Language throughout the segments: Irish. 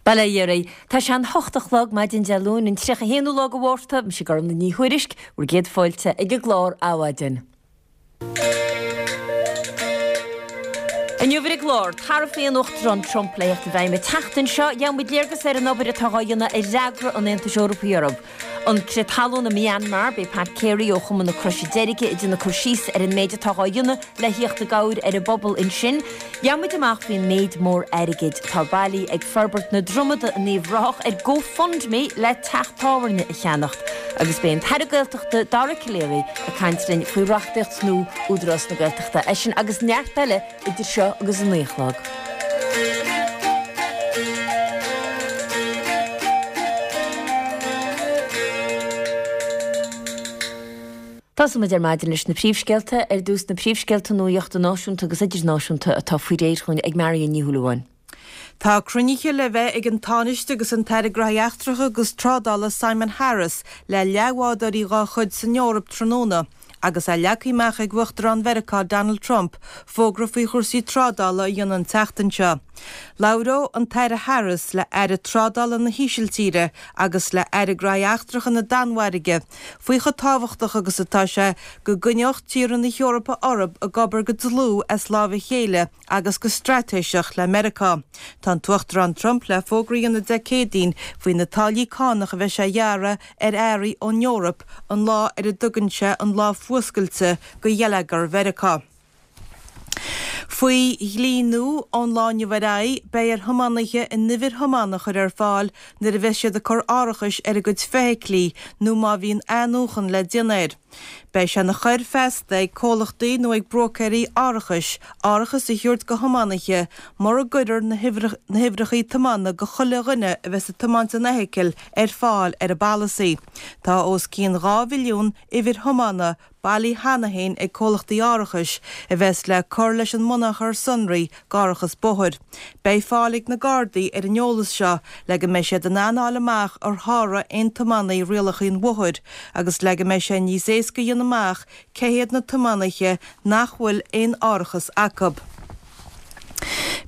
Bail ó Dhia oraibh. Tá sé an hocht a chlog maidin Dé Luain an 31ú lá de Mhárta, mise Gormlaith Ní Thuairisg, bhur gcéad fáilte ag an gclár Adhmhaidin. Inniu ar an gclár, taraifí an Uachtaráin Trump le theacht i bhfeidhm an tseachtain seo, gheobhaidh muid léargas ar an obair atá dhá dhéanamh ar fhreagra an Aontais Eorpaigh orthu. An crith talún i Myanmar, beidh Pat Carey ó Chumann na Croise Deirge ag déanamh cur síos ar an méid atá dhá dhéanamh le thíocht i gcabhair ar an bpobal ansin. Gheobhaidh muid amach faoin méid mór airgid atá bailithe ag Forbairt na Dromada in Uíbh Ráthach ar GoFundMe le teach tábhairne a cheannacht. Agus beidh an tAire Gaeltachta Dara Calleary ag caint linn faoi reachtaíocht nua Údarás na Gaeltachta. É sin agus neart eile idir seo agus a 9 a chlog. Tosóidh muid ar maidin leis na príomhscéalta. Ar dtús na príomhscéalta nuachta náisiúnta agus idirnáisiúnta atá faoi réir chugainn ag Marion Ní Shúilleabháin. Tá cruinnithe le bheith ag an Tánaiste agus an tAire Gnóthaí Eachtracha agus Trádála Simon Harris le leathbhádóirí dá chuid san Eoraip tráthnóna agus é leagtha amach ag Uachtarán Mheiriceá Donald Trump fógra faoi chúrsaí trádála a dhéanamh an tseachtain seo. Labhróidh an tAire Harris le Aire Trádála na hÍsiltíre agus le Aire Gnóthaí Eachtracha na Danmhairge faoi chomh tábhachtach agus atá sé go gcoinneodh tíortha na hEorpa orthu ag obair go dlúth as láimh a chéile agus go straitéiseach le Meiriceá. Tá an tUachtarán Trump le fógra a dhéanamh Dé Céadaoin faoi na táillí cánach a bheidh sé a ghearradh ar earraí ón Eoraip an lá ar a dtugann sé an lá fuascailte do gheilleagar Mheiriceá. Faoi dhlí nua ón lá inniu ar aghaidh, beidh ar thiománaithe a n-uimhir thiomána a chur ar fáil nuair a bheas siad ag cur árachais ar a gcuid feithiclí nó má bhíonn athnuachan le déanamh air. Beidh sé ina choir feasta ag comhlachtaí nó ag bróicéirí árachais árachas a thabhairt do thiománaithe mura gcuirfear na huimhreacha tiomána do chuile dhuine a bheas ag tiomáint an fheithicil ar fáil ar an bpolasaí. Tá os cionn 2 mhilliún uimhir thiomána bailithe cheana féin ag comhlachtaí árachais a bheas le cur leis an mbunachar sonraí d'árachas bóthair. Beidh fáil ag na Gardaí ar an eolas seo le go mbeidh siad in ann a fháil amach ar sháraigh aon tiománaí rialacha an bhóthair agus le go mbeidh sé níos éasca a dhéanamh amach cé hiad na tiománaithe nach bhfuil aon árachas acu.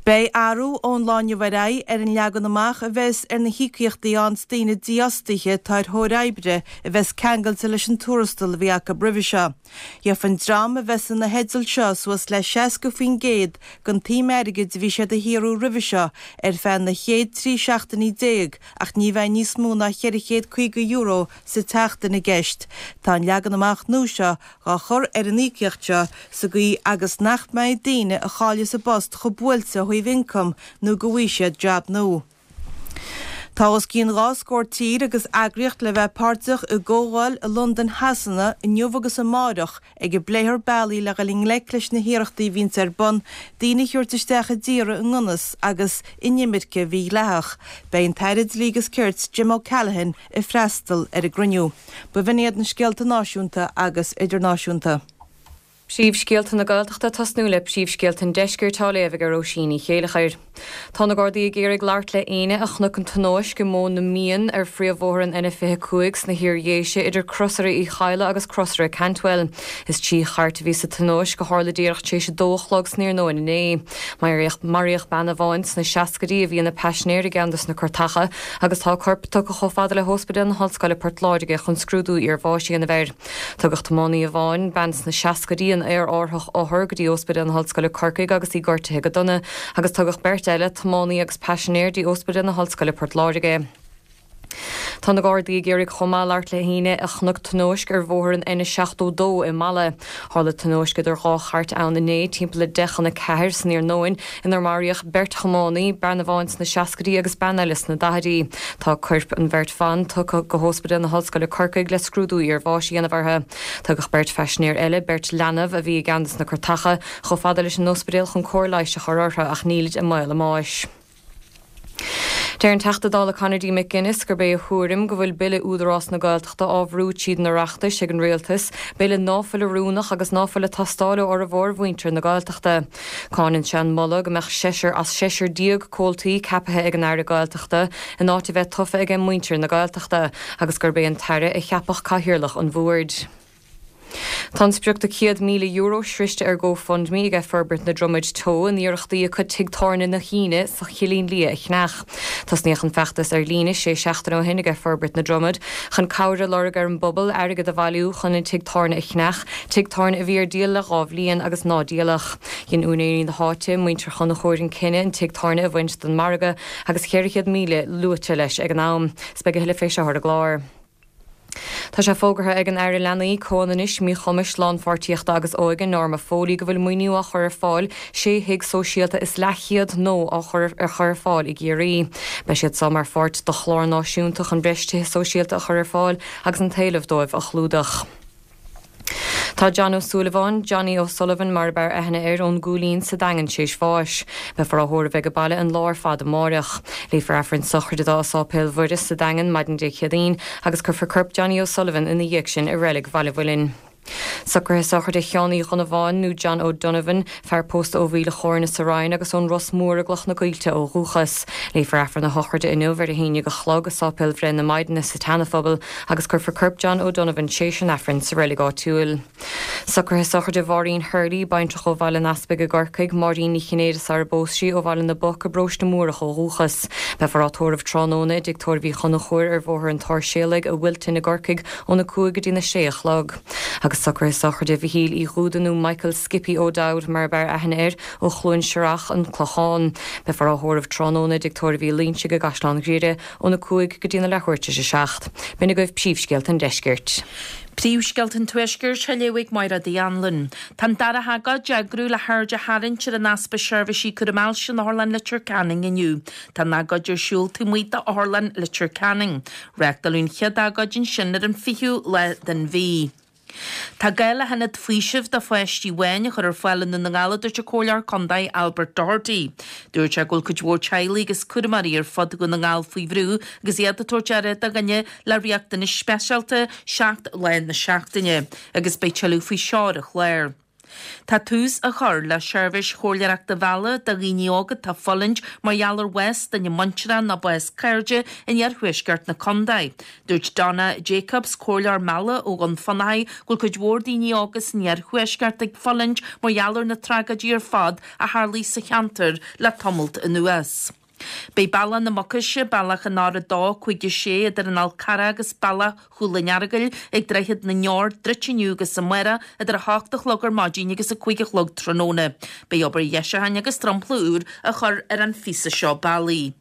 Beidh athrú ón lá inniu ar aghaidh ar an leagan amach a bheas ar na híocaíochtaí a fhaigheanns daoine dífhostaithe atá ar thóir oibre a bheas ceangailte leis an tuarastal a bhí acu roimhe seo. Gheofa an dream a bheas ina theideal seo suas le 60% den tsuim airgid a bhí siad a shaothrú roimhe seo ar feadh na chéad 13 seachtainí ach ní bheidh níos mó ná €450 sa tseachtain i gceist. Tá an leagan amach nua seo dhá chur ar an íocaíocht seo sa gcaoi agus nach mbeidh daoine a chailleas a bpost chomh buailte ó thaobh ioncaim nó go bhfaighidh siad jab nua. Tá os cionn 2 scór tír agus eagraíocht le bheith páirteach i gcomhdháil i Londain Shasana inniu agus amáireach ag a bpléifear bealaí le dhul i ngleic leis na hiarrachtaí a bhíonns ar bun daoine a thabhairt isteach i dtíortha i ngan fhios agus inimirce mhídhleathach. Beidh an tAire Dlí agus Cirt Jim O'Callaghan ag freastal ar an gcruinniú. B'in iad na scéalta náisiúnta agus idirnáisiúnta. Príomhscéalta na Gaeltachta ag tosnú le príomhscéalta an Deiscirt á léamh ag Róisín Ní Chéileachair. Tá na Gardaí ag iarraidh labhairt le éinne a chonaic an tionóisc i Móin na Mian ar phríomhbhóthar an N25 sna hIar-Dhéise idir Crosaire Uí Chadhla agus Crosaire Cantwell. Is 3 chairt a bhí sa tionóisc a tharla díreach tar éis a dó a chlog san iarnóin inné. Maraíodh bean amháin sna seascaidí a bhí ina paisinéir i gceann de na cairteacha agus tá a corp tugtha chomh fada le hOspidéal na hOllscoile Port Láirge chun scrúdú iarbháis a dhéanamh air. Tugadh tiománaí amháin, bean sna seascaidí, in aerárthach othar go dtí Ospidéal na hOllscoile Corcaigh agus í gortaithe go dona, agus tugadh beirt eile, tiománaí agus paisinéir, dtí Ospidéal na hOllscoile Port Láirge. Tá na Gardaí ag iarraidh chomh maith labhairt le héinne a chonaic tionóisc ar bhóthar an N72 i Mala. Tharla tionóisc idir dhá chairt ann inné timpeall le deich chun a ceathair san iarnóin inar maraíodh beirt thiománaí, bean amháin sna seascaidí agus bean eile sna daichidí. Tá coirp an bheirt bhan tugtha go hOspidéal na hOllscoile Corcaigh le scrúdú iarbháis a dhéanamh orthu. Tugadh beirt phaisinéir eile, beirt leanbh a bhí i gceann de na cairteacha, chomh fada leis an ospidéal chun cóir leighis a chur orthu ach nílid i mbaol a mbáis. Deir an Teachta Dála Conor D. McGuinness gurb é a thuairim go bhfuil Bille Údarás na Gaeltachta á bhrú tríd an Oireachtas ag an Rialtas, bille ná fuil oiriúnach agus ná fuil ag teastáil ó fhormhór mhuintir na Gaeltachta. Cáineann sé an moladh go mbeadh seisear as seisear déag comhaltaí ceapaithe ag an Aire Gaeltachta in áit a bheith tofa aige muintir na Gaeltachta agus gurb é an tAire a cheapfadh cathaoirleach an bhoird. Tá an sprioc de €100,000 sroichte ar GoFundMe ag Forbairt na Dromad Teo in iarrachtaí acu Tigh Tábhairne na hAoine sa Chillín Liath a cheannach. Tosnaíodh an feachtas ar líne sé seachtaine ó shin ag Forbairt na Dromad chun cabhair a lorg ar an bpobal airgead a bhailiú chun an tigh tábhairne a cheannach, tigh tábhairne a bhí ar díol le 2 bhliain agus ná díoladh. Dhein úinéirí na háite, muintir Chonchúir an cinneadh an tigh tábhairne a bhaint den margadh agus 400,000 luaite leis ag an am. 'S beidh a thuilleadh fé seo ar an gclár. Tá sé fógartha ag an Aire Leanaí, Comhionannais, Míchumais, Lánpháirtíochta agus Óige, Norma Foley go bhfuil maoiniú á chur ar fáil sé thigh sóisialta is leathchéad nua á chur ar chur ar fáil i gCiarraí. Beidh siad seo mar pháirt de chlár náisiúnta chun breis tithe sóisialta a chur ar fáil agus an t-éileamh dóibh a chlúdach. Tá John Ó Súilleabháin, Johnny O'Sullivan mar ab fhearr aithne air, ón gCúilín sa Daingean tar éis bháis. Beifear á thórramh age baile an lá ar fad amáireach. Léifear Aifreann sochraide dó i Sáipéal Mhuire sa Daingean maidin Dé Céadaoin agus cuirfear corp Johnny O'Sullivan ina dhiaidh sin i Reilig Bhaile Mhuilinn. Socruithe sochraide Sheáin Uí Dhonnabháin nó John O'Donovan, fear pósta ó Mhíl a' Chóirne sa Rinn agus ón Ros Mór i gCloch na Coillte ó dhúchas. Léifear Aifreann a shochraide inniu ar a haon dhéag a chlog i Sáipéal Bhreith na Maighdine sa tSeanaphobal agus cuirfear corp John O'Donovan tréis an Aifrinn sa reilig áitiúil. Socruithe sochraide Mháirín Hurley, baintreach ó Bhaile an Easpaig i gCorcaigh, Máirín Ní Chinnéide sara bpós sí, ó Bhaile na bPoc i bParóiste Múrach ó dhúchas. Beifear á tórramh tráthnóna i dTigh Tórraimh Uí Chonchúir ar Bhóthar an tSáirséalaigh i Wilton i gCorcaigh óna 5 go dtína 6 a chlog. Agus socruithe sochraide Mhichíl Uí Dhúda nó Michael Skippy O'Dowd mar ab fhearr aithne air, ó Chluain Searrach, An Clochán. Beifear á thórramh tráthnóna i dTigh Tórraimh Uí Loingsigh i gCaisleán Ghriaire óna 5 go dtína leathuair tar éis a 7. B'in agaibh príomhscéalta an deiscirt. Príomhscéalta an Tuaiscirt á léamh ag Máire Uí Anluain. Tá an dara hagóid á eagrú le haird a tharraingt ar an easpa seirbhísí cúram ailse in Otharlann Leitir Ceanainn inniu. Tá an agóid ar siúl taobh amuigh d'Otharlann Leitir Ceanainn. Reáchtáladh an chéad agóid ansin ar an 20ú lá den mhí. Tá gá le hionad faoisimh do pháistí amháin a chur ar fáil i nDún na nGall a dúirt an Comhairleoir Contae Albert Doherty. Dúirt sé go bhfuil cuid mhór teaghlaigh agus cúramóirí ar fud Dhún na nGall faoi bhrú agus iad ag tabhairt aire do dhuine le riachtanais speisialta 7 lá na seachtaine agus beidh tuilleadh faoi seo ar an chlár. Tá tús á chur le seirbhís chomhairleoireachta meala do dhaoine óga atá ag fulaingt mar gheall ar bhás duine muinteartha nó bás cairde in iarthuaisceart na contae. Dúirt Donna Jacobs, comhairleoir meala ó Dhún Fionnachaidh, go bhfuil cuid mhór daoine óga san iarthuaisceart ag fulaingt mar gheall ar na tragóidí ar fad a tharlaigh sa cheantar le tamalt anuas. Beidh Bealach na Mucaise, Bealach an R2, 5, 6 idir an Fhál Carrach agus Bealach Chúil an Earagail ag Droichead na nDeor druidte inniu agus amárach idir 8 a chlog ar maidin agus 5 a chlog tráthnóna. Beidh obair dheisiúcháin agus dromchla úr á chur ar an phíosa seo bealaigh.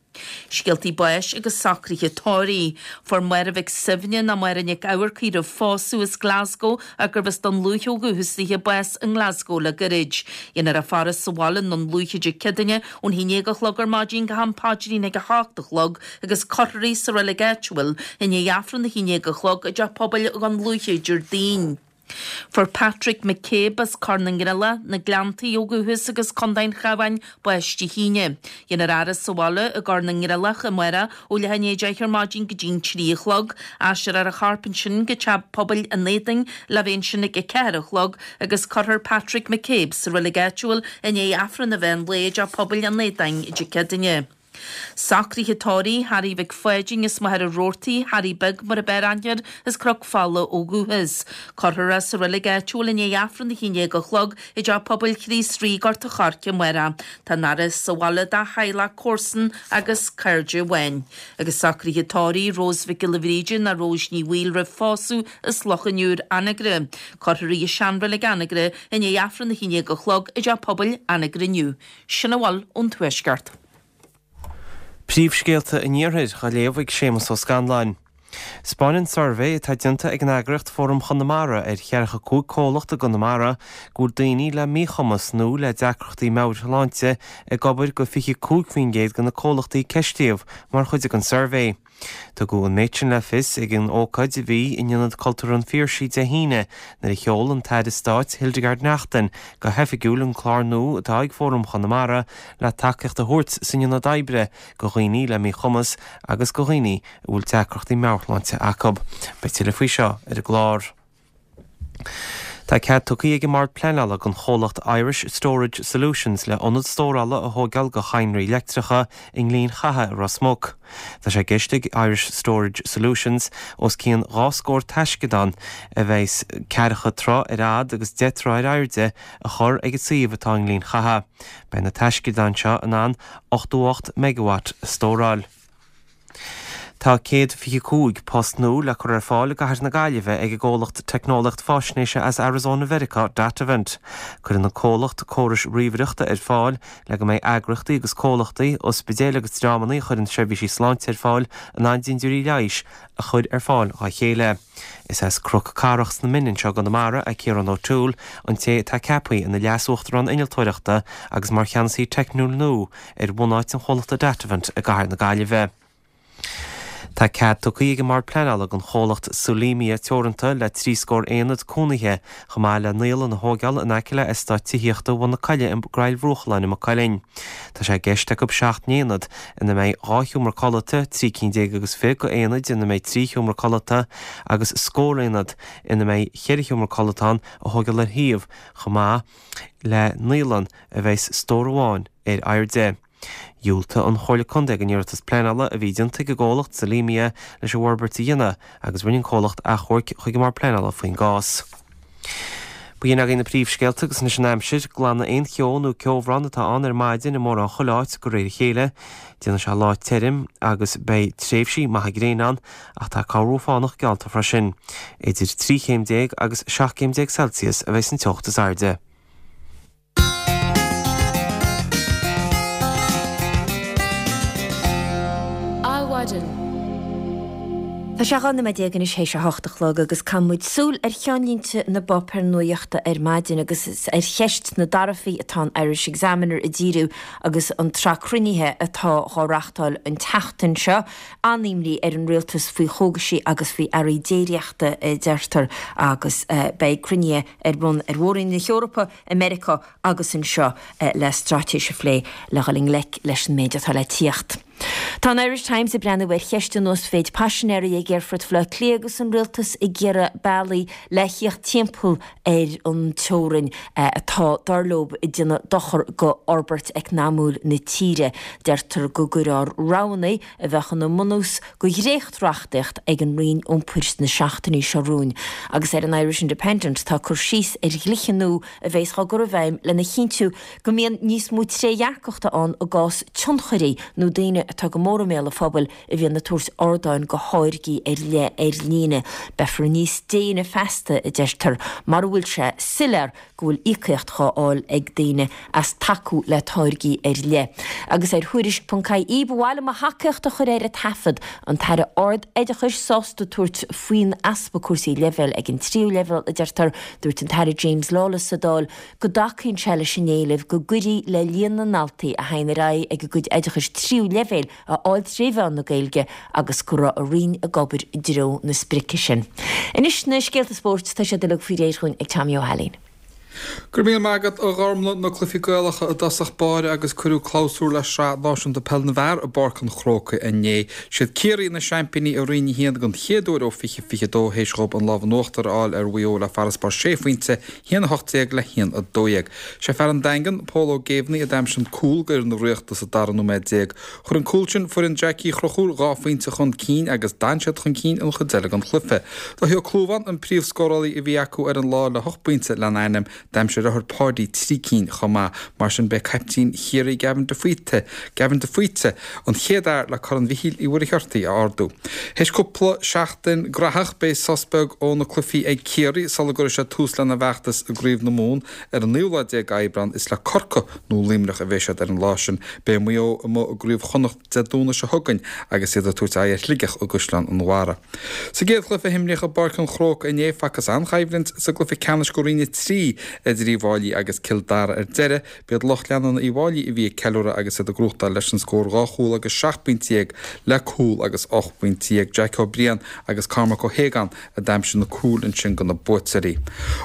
Scéaltaí báis agus socruithe tórraimh. Fuair Máire Mhic Suibhne nó Máire Nic Eamharcaigh roimh phósadh as Glasgow ach gurbh as Dún Lúiche ó dhúchas dithe bás i nGlasgow le gairid. Dhéanfar a faire sa bhaile i nDún Lúiche Dé Céadaoine ón 11 a chlog ar maidin go ham paidrín ag 8 a chlog agus cuirfear í sa reilig áitiúil i ndiaidh Aifreann 11 a chlog i dTeach Pobail Dhún Lúiche Déardaoin. Fuair Patrick McCabe as Cor na nGreallach, Na Gleanntaí ó dhúchas agus Contae an Chabháin, bás Dé hAoine. Dhéanfar a fhaire sa bhaile i gCor na nGreallach amárach ó leath i ndiaidh 10 ar maidin go dtí'n 3 a chlog. Aistreofar a chorp ansin go Teach Pobail an Éadain le bheith ansin ag 4 a chlog agus cuirfear Patrick McCabe sa reilig áitiúil i ndiaidh Aifreann an mheán lae i dTeach Pobail an Éadáin Dé Céadaoine. Socruithe tórraimh, Harry Mhic Pháidín as Machaire Rabhartaigh, Harry Beag mar ab fhearr aithne air, as Cnoc Fola ó dhúchas. Cuirfear é sa reilig áitiúil i ndiaidh Aifreann 11 a chlog i dTeach Pobail Chríost Rí, Gort a' Choirce amárach. Tá an fhaire sa bhaile dá theaghlach, comharsan agus cairde amháin. Agus socruithe tórraimh, Rose Mhic Giolla Bhríde nó Rose Ní Bhaoill roimh phósadh as Loch an Iúir, Anagaire. Cuirfear í i seanreilig Anagaire i ndiaidh Aifreann 11 a chlog i dTeach Pobail Anagaire inniu. Sin a bhfuil ón Tuaisceart. Príomhscéalta an Iarthair á léamh ag Séamus Ó Scanláin. 'Spáineann suirbhé atá déanta ag an eagraíocht Fóram Chonamara ar 45 comhlacht i gConamara go bhfuil daoine le míchumas nó le deacrachtaí meabhairshláinte ag obair go 25% de na comhlachtaí a ceistíodh mar chuid den suirbhé. Tugadh an méid sin le fios ag an ócáid a bhí in Ionad Cultúrtha an Phiarsaigh Dé hAoine nuair a sheol an tAire Stáit Hildegarde Naughton go hoifigiúil an clár nua atá ag Fóram Chonamara le tacaíocht a thabhairt san ionad oibre go dhaoine le míchumas agus go dhaoine a bhfuil deacrachtaí meabhairshláinte acu. Beidh tuilleadh faoi seo ar an gclár. Tá cead tugtha ag an mBord Pleanála don chomhlacht Irish Storage Solutions le ionad stórála a thóigeáil do chadhnraí leictreacha i nGleann Chatha i Ros Muc. Tá sé i gceist ag Irish Storage Solutions os cionn 2 scór taisceadán a bheas ceathracha troigh ar fhad agus 10 troigh ar airde a chur ag an suíomh atá i nGleann Chatha. Beidh na taisceadáin seo in ann 88 megawatt a stóráil. Tá 125 post nua le cur ar fáil i gcathair na Gaillimhe ag an gcomhlacht teicneolaíocht faisnéise as Arizona Mheiriceá, Datavant. Cuireann an comhlacht córais ríomhaireachta ar fáil le go mbeidh eagraíochtaí agus comhlachtaí, ospidéil agus dreamanna a chuireann seirbhísí sláinte ar fáil in ann dintiúirí leighis a chur ar fáil dhá chéile. Is as Cnoc Carrach sna Mine anseo i gConamara é Ciarán O'Toole, an té atá ceaptha ina Leas-Uachtarán Innealtóireachta agus mar Cheannasaí Teicniúil nua ar bhunáit an chomhlachta Datavant i gcathair na Gaillimhe. Tá cead tugtha ag an mBord Pleanála don chomhlacht Solemia Teoranta le 3 scór aonad cónaithe chomh maith le naíolann a thóigeáil in aice le eastát tithíochta Bhun na Coille i gCoill Bhruachalláin i Maigh Cuilinn. Tá sé i gceist acu 7 n-aonad ina mbeidh 2 sheomra codlata, 13 cinn agus fiche d'aonaid ina mbeidh 3 sheomra codlata agus scór aonad ina mbeidh 4 sheomra codlata ann a thóigeáil ar shuíomh chomh maith le naíolann a bheas stór amháin ar airde. Dhiúltaigh an Chomhairle Contae don iarratas pleanála a bhí déanta ag an gcomhlacht Solemia leis an bhforbairt a dhéanamh agus rinne an comhlacht achomharc chuig an mBord Pleanála faoin gcás. B'in agaibh na príomhscéalta agus anois an aimsir. Glanadh aon cheo nó ceobhrán atá ann ar maidin i mórán chuile áit de réir a chéile. Déanfaidh sé lá tirim agus beidh tréimhsí maithe gréine ann ach tá corrmhúr fánach geallta freisin. Idir 13 chéim agus 17 céim Celsius a bheidh san teocht is airde. Adhmhaidin. Tá sé 12 nóiméad anois théis a hocht a chlog agus caithfidh muid súil ar cheannlínte na bpáipéar nuachta ar maidin agus is ar cheist na dtaraifí atá an Irish Examiner ag díriú agus an tsraith cruinnithe atá dhá reachtáil an tseachtain seo. An-imní ar an rialtas faoi chógaisí agus faoi earraí déiríochta a deirtear agus beidh cruinnithe ar bun ar Mhór-Roinn na hEorpa i Meiriceá agus anseo le straitéis a phlé le dhul i ngleic leis an méid atá le tíocht. Tá an Irish Times ag breathnú ar cheist an uasmhéid paisinéirí ag Aerfort Bhaile Átha Cliath agus an rialtas ag iarraidh bealaí le thíocht timpeall ar an teorainn atá, dar leo, ag déanamh dochar go fhorbairt eacnamúil na tíre. Deirtear go gcuirfear roghanna a bheadh ina mbunús go dhréacht-reachtaíocht ag an Roinn Iompair sna seachtainí seo romhainn. Agus ar an Irish Independent tá cur síos ar dhlíthe nua a bheas á gcur i bhfeidhm lena chinntiú go mbíonn níos mó trédhearcachta ann i gcás tionchairí nó daoine atá go mór i mbéal an phobail a bhíonn ag tabhairt ardáin go tháirgí ar leith ar líne. Beifear níos déine feasta, a deirtear, mara bhfuil sé soiléir go bhfuil íocaíocht dhá fháil ag daoine as tacú le táirgí ar leith. Agus ar Thuairisc ponc ie ba mhaith liom mo thacaíocht a chur ar an taifead, an tAire Ard-Oideachais sásta tabhairt faoin easpa cúrsaí leibhéil ag an tríú leibhéal, a deirtear. Dúirt an tAire James Lawless sa Dáil go dtacaíonn sé leis an éileamh go gcuirfí le líon na ndaltaí a théann ar aghaidh ag a gcuid oideachais tríú leibhéil a fháil tré mheán na Gaeilge agus go raibh a Roinn ag obair i dtreo na sprice sin. Anois na scéalta spóirt, tá siad uilig faoi réir dhúinn ag Tommy Ó hAilín. Go raibh míle maith agat, a Ghormlaith. Na cluichí Gaelacha i dtosach báire agus cuireadh clabhsúr le Sraith Náisiúnta Peile na bhFear i bPáirc an Chrócaigh inné. Siad Ciarraí na seaimpíní i Roinn 1 den chéad uair ó 2022 théis dhóibh an lámh in uachtar a fháil ar Mhaigh Eo le farasbarr sé phointe, 1-18 le 1-12. Sé fear an Daingin, Pól Ó Géibheannaigh a d'aimsigh an cúl d'fhoireann na Ríochta sa dara nóiméad déag. Chuir an cúl sin foireann Jackie Uí Chonchúir 2 phointe chun cinn agus d'fhan siad chun cinn an chuid eile den chluiche. Dáithí Ó Clúmháin an príomhscórálaí a bhí acu ar an lá le hocht bpointe lena ainm. D'aimsigh a dheartháir Páidí 3 cinn chomh maith. Mar sin b'é caiptín Chiarraí Gavin de Faoite, Gavin de Faoite, an chéad fhear le Corn Mhichíl Uí Mhuircheartaigh a ardú. Théis cúpla seachtain graitheach beidh sos beag ó na cluichí ag Ciarraí sula gcuirfidh siad tús lena bhfeachtas i gCraobh na Mumhan ar an naoú lá déag Aibreán. Is le Corcaigh nó Luimneach a bheidh siad ar an lá sin. Beidh Maigh Eo amuigh i gCraobh Chonnacht Dé Domhnaigh seo chugainn agus iad ag tabhairt aghaidh ar Shligeach i gCaisleán an Bharraigh. Sa gcéad chluiche a himríodh i bPáirc an Chrócaigh inné, facthas an-choimhlint sa gcluiche ceannais do Roinn 3. idir Uíbh Fhailí agus Cill Dara ar deireadh. B'iad lucht leanúna Uíbh Fhailí a bhí ag ceiliúradh agus iad ag gnóthachtáil leis an scór 2 chúl agus 17 bpointe le cúl agus 18 bpointe. Jackie Ó Briain agus Cormac Ó hAogáin a d'aimsigh na cúil ansin do na buaiteoirí.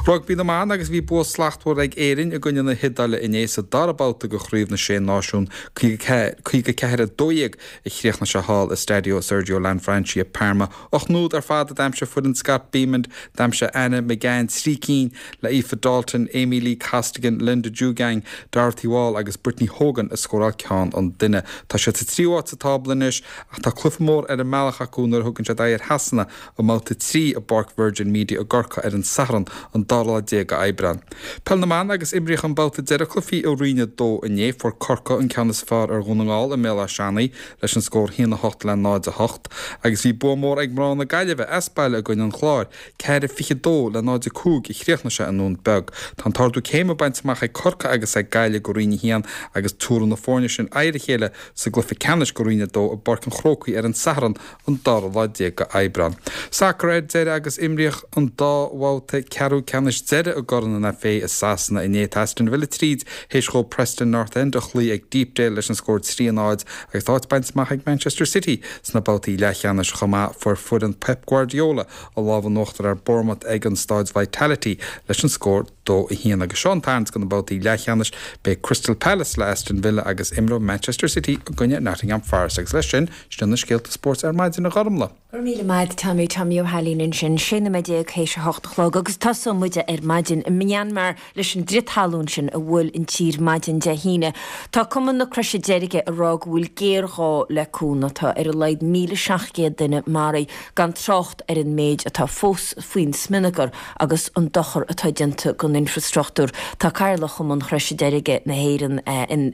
Rugbaí na mBan agus bhí bua slachtmhar ag Éirinn i gcoinne na hIodáile inné sa dara babhta de Chraobh na Sé Náisiún, 54, 12 a chríochnaigh sé thall i Stadio Sergio Lanfranchi i Parma. 8 n-úd ar fad a d'aimsigh foireann Scott Bemand, d'aimsigh Anna McGann 3 cinn le Aoife Dalton, Amee-Leigh Costigan, Linda Djougang, Dorothy Wall agus Brittany Hogan ag scóráil ceann an duine. Tá siad sa tríú háit sa tábla anois ach tá cluiche mór ar an mbealach acu nuair a thugann siad aghaidh ar Shasana i mbabhta 3 i bPáirc Virgin Media i gCorcaigh ar an Satharn an dara lá déag d'Aibreán. Peil na mBan agus imríodh an babhta deireadh cluichí i Roinn 2 inné. Fuair Corcaigh an ceann is fearr ar Dhún na nGall i mBéal Átha Seanaidh leis an scór 1-8 le 0-8 agus bhí bua mór ag mná na Gaillimhe as baile i gcoinne an Chláir, 4-22 le 0-5 a chríochnaigh sé i nDún Beag. Tá an t-ardú céime bainte amach ag Corcaigh agus ag Gaillimh go Roinn 1 agus tabharfaidh na foirne sin aghaidh ar a chéile sa gcluiche ceannais de Roinn 2 i bPáirc an Chrócaigh ar an Satharn an dara lá déag d'Aibreán. Sacar ar deireadh agus imríodh an dá bhabhta ceathrú ceannais deiridh i gCorn an FA i Sasana inné. Tá Aston Villa tríd théis dhóibh Preston North End a chloí ag Deepdale leis an scór 3 0 agus tá áit bainte amach ag Manchester City sna babhtaí leathcheannais chomh maith. Fuair foireann Pep Guardiola an lámh in uachtar ar Bournemouth ag an Stáid Vitality leis an scór 2, 1. Agus seo an tarraingt do na babhtaí leathcheannais, beidh Crystal Palace le Aston Villa agus imreoidh Manchester City i gcoinne Nottingham Forest. Agus leis sin, sin na scéalta spóirt ar maidin, a Ghormlaith. Go raibh míle maith agat Tommy, Tommy Ó hAilín ansin, 16 nóiméad théis a hocht a chlog agus tosóidh muide ar maidin i Myanmar leis an gcrith talún sin a bhuail an tír maidin Dé hAoine. Tá Cumann na Croise Deirge ag rá go bhfuil géarghá le cúnamh. Tá ar a laghad 1,700 duine maraithe, gan trácht ar an méid atá fós faoin smionagar agus an dochar atá déanta don infreastruchtúr. Tá Cathaoirleach Chumann Chroise Deirge na hÉireann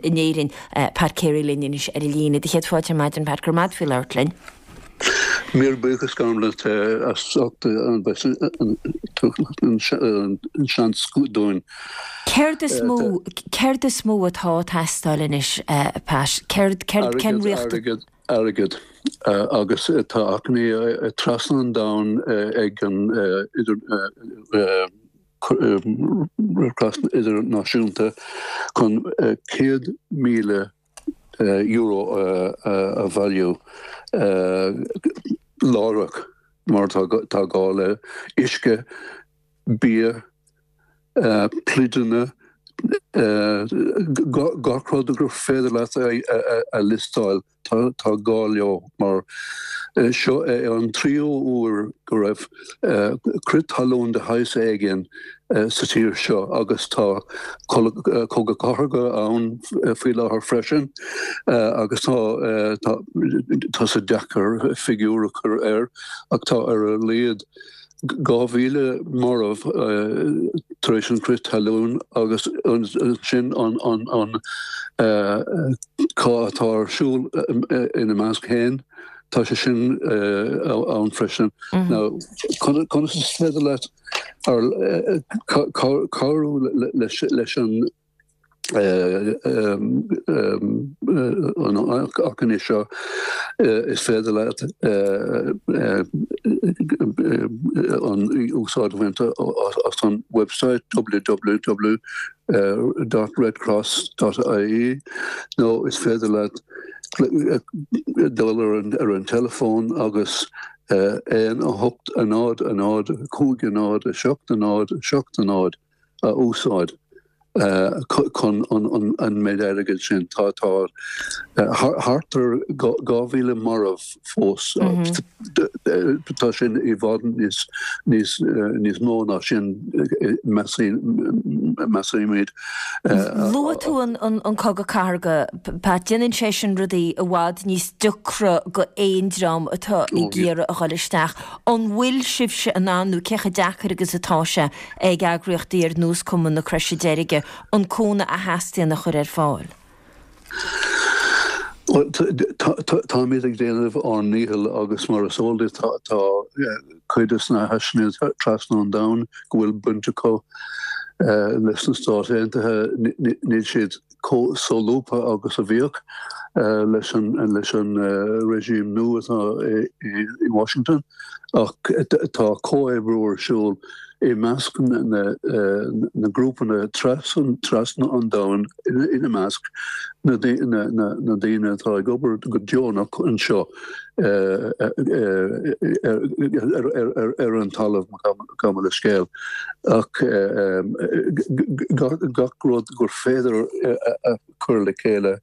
in Éirinn, Pat Carey linn anois ar an líne. Do chéad fáilte ar maidin, Pat, go raibh maith agat faoi labhairt linn. Míle buíochas Gormlaith as ucht an seans dúinn. Céard is mó, céard is mó atá ag teastáil anois, Pat? Céard, céard, cén riachtanas? Airgead, airgead, agus tá achainí trasna an domhain ag an Red Cross Idirnáisiúnta chun €100,000 a bhailiú láithreach mar tá gá le uisce, bia, pluideanna, gach rud gur féidir leat a liostáil, tá gá leo mar seo é an tríú huair go raibh crith talún de shaghas éigin sa tír seo agus tá cogadh cathartha ann faoi láthair freisin agus tá tá sé deacair figiúr a chur air ach tá ar a laghad 2,000 marbh tar éis an crith talún agus ansin an cath atá ar siúl ina measc féin, tá sé sin ann freisin. Now, conas is féidir leat cabhrú leis an an achainí seo, is féidir leat an úsáid a bhaint as an website www dot redcross dot ie nó is féidir leat dul ar an teileafón agus 1 8 0 0 5 0 7 0 7 0 a úsáid chun an méid airgid sin. Tá thart ar 2,000 marbh fós. Tá sin i bhfad níos mó ná sin, measaimid. Luaigh tú an cogadh cathartha, Pat. Déanann sé sin rudaí i bhfad níos deacra do aon dream atá ag iarraidh a dhul isteach. An bhfuil sibhse in ann, nó cé chomh deacair agus atá sé, ag eagraíochtaí ar nós Cumann na Croise Deirge an cúnamh a theastaíonn a chur ar fáil. Bhuel, táimid ag déanamh ár ndícheall agus mar is eol duit tá cuid de na háiseanna trasna an domhain go bhfuil baint acu leis na Stáit Aontaithe, níl siad chomh solúbtha agus a bhíodh. leis an leis an regime nua atá i Washington ach tá comhoibriú ar siúl i measc na ngrúpanna trasna an domhain, ina measc na daoine atá ag obair go deonach anseo ar an talamh, gabh mo leithscéal, ach gach rud gur féidir a chur le chéile,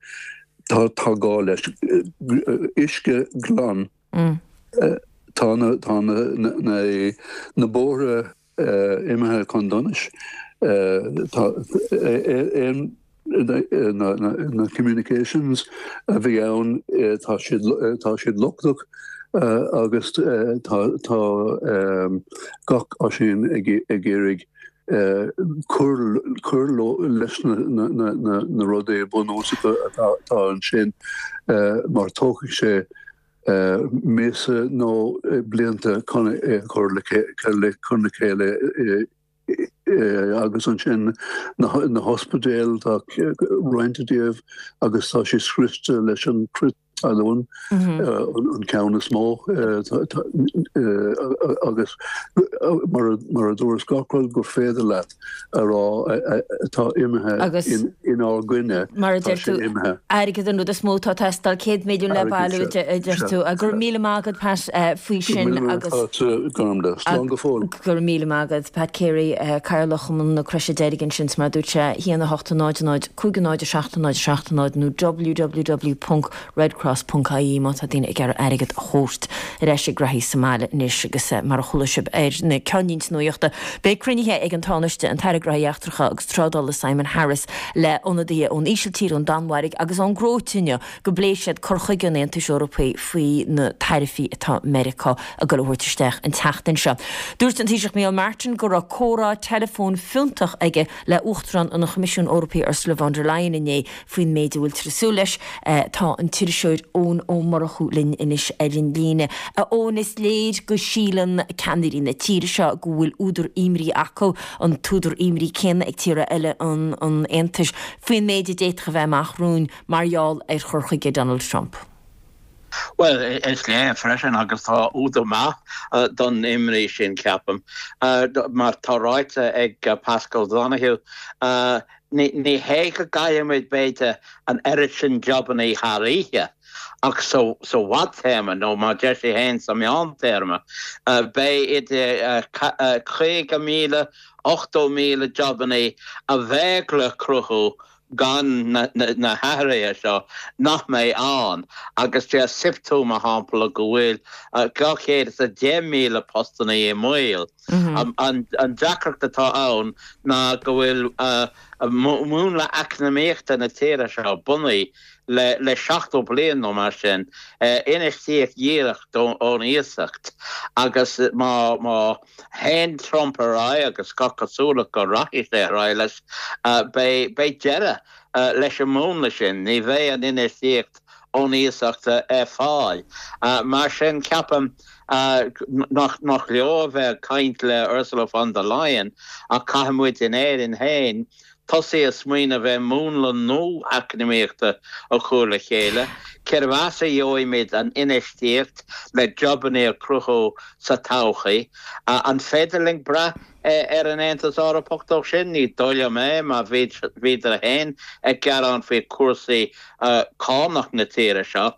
tá gá leis. Uisce glan. Tá na tá na na bóithre imithe chun donais. Tá aon na communications a bhí ann tá siad tá siad lochtach agus tá tá gach Oisín ag ag iarraidh cur cur leis na na na rudaí bunúsacha atá atá ansin mar tógfaidh sé míosa nó blianta chun é a chur le chéile agus ansin na hospidéil, tá roinnt díobh agus tá sé scriosta leis an crith talún, an ceann is mó agus mar a dúras gach rud gur féidir leat a rá atá imithe inár gcoinne, Mar a deir tú, airgead an rud is mó atá ag teastáil, 100 milliún le bailiú, a deir tú. Go raibh míle maith agat, Pat, faoi sin agus. Slán go fóill. Go raibh míle maith agat, Pat Carey, Cathaoirleach Chumann na Croise Deirge ansin, is mar a dúirt sé, 1 8 0 0 5 0 7 0 7 0 nó www. redcross.ie má tá daoine ag iarraidh airgead a thabhairt ar ais ag reathaí sa mbaile anois agus mar a chuala sibh ar na ceannlínte nuachta beidh cruinnithe ag an Tánaiste, an tAire Gnóthaí Eachtracha agus Trádála Simon Harris le ionadaithe ón Ísiltír, ón Danmhairg agus ón gCróit inniu go bpléifidh siad cur chuige an Aontais Eorpaigh faoi na taraifí atá Meiriceá ag dul a thabhairt isteach an tseachtain seo. Dúirt an Taoiseach Micheál Martin go raibh comhrá teileafóin fiúntach aige le Uachtarán an Choimisiúin Eorpaigh Ursula von der Leyen inné faoin méid a bhfuiltear ag súil leis. Tá an t-iriseoir Eoin Ó Murchú linn anois ar an líne. A Eoin, is léir go síleann ceannairí na tíre seo go bhfuil údar imní acu, an t-údar imní céanna ag tíortha eile an Aontais, faoin méid a d'fhéadfadh a bheith amach romhainn mar gheall ar chur chuige Donald Trump. Bhuel, is léir freisin, agus tá údar maith don imní sin, ceapaim, mar tá ráite ag Paschal Donohoe, Ní hé go gcaillfimid, b'fhéidir, an oiread sin jobannaí thar oíche, ach sa bhfadtéarma, nó mar deir sé féin, sa mheántéarma, beidh idir 50,000, 80,000 jobannaí a bheadh le cruthú gan na hathruithe seo nach mbeidh ann. Agus deir SIPTU, mar shampla, go bhfuil 210,000 postannaí i mbaol. An deacracht atá ann ná go bhfuil múnla eacnamaíochta na tíre seo bunaithe le 70 bliain nó mar sin, infheistíocht dhíreach ón iasacht agus má théann Trump ar aghaidh, agus gach cosúlacht go rachaidh sé ar aghaidh leis, beidh deireadh leis an múnla sin, ní bheidh an infheistíocht ón iasacht ar fáil. Mar sin, ceapaim nach leor a bheith ag caint le Ursula von der Leyen ach caithfidh muid in Éirinn féin tosaí ag smaoineamh ar mhúnla nua eacnamaíochta a chur le chéile, cérbh as a gheobhaimid an infheistíocht le jobanna a chruthú sa todhchaí? An féidir linn brath ar an Aontas Eorpach dó sin? Ní dóigh liom é, mar bhíodar féin ag gearán faoi chúrsaí cánach na tíre seo.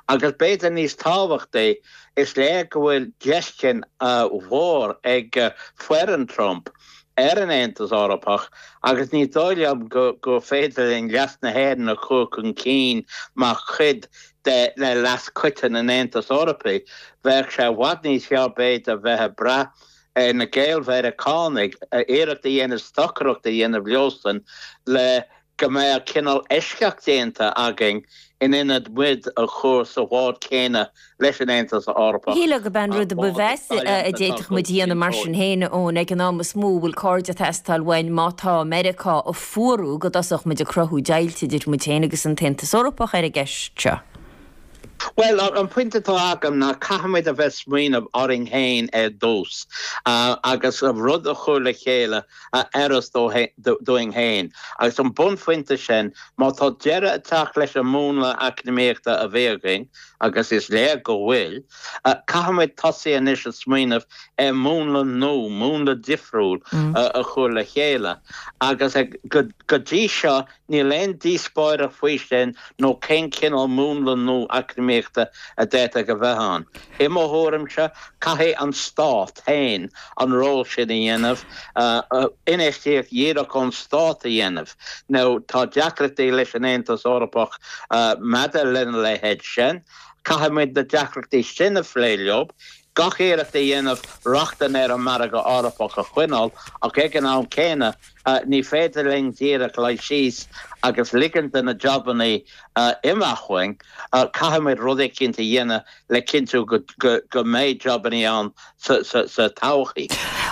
Agus b'fhéidir níos tábhachtaí, is léir go bhfuil deisce mhór ag foireann Trump ar an Aontas Eorpach agus ní dóigh liom gur féidir linn leas na hÉireann a chur chun cinn mar chuid de leas coiteann an Aontais Eorpaigh. Bheadh sé i bhfad níos fearr b'fhéidir bheith ag brath ar na Gael-Mheiriceánaigh, iarracht a dhéanamh stocaireacht a dhéanamh leosan le go mbeadh cineál eisceacht déanta againn in ionad muid a chur sa bhád céanna leis an Aontas Eorpach. Shílfeá gurb é an rud a ba mheasa a d'fhéadfadh muid a dhéanamh mar sin féin, a Eoin, ag an am is mó a bhfuil cairde ag teastáil uainn má tá Meiriceá ag fuarú go dtosódh muid ag cruthú deighilt idir muid féin agus an tAontas Eorpach ar an gceist seo. Bhuel, an pointe atá agam ná caithfimid a bheith smaoineamh orainn féin ar dtús agus rud a chur le chéile a oireas dúinn féin. Agus an bunphointe sin, má tá deireadh ag teacht leis an múnla eacnamaíochta a bhí againn, agus is léir go bhfuil, caithfimid tosaí anois ag smaoineamh ar mhúnla nua, múnla difriúil a chur le chéile. Agus go dtí seo, Níl aon díospóireacht faoi sin nó cén cineál múnla nua eacnamaíochta a d'fhéadfadh a bheith ann. I mo thuairimse, caithfidh an Stát féin an ról sin a dhéanamh, infheistíocht dhíreach ón Stát a dhéanamh. Now, tá deacrachtaí leis an Aontas Eorpach maidir lena leithéid sin. Caithfimid na deacrachtaí sin a phlé leo. Gach iarracht a dhéanamh rochtain ar an margadh Eorpach a choinneáil ach ag an am céanna, Ní féidir linn díreach luí síos agus ligint do na jabannaí imeacht uainn. Caithfimid rud eicínt a dhéanamh le cinntiú go mbeidh jabannaí ann sa todhchaí.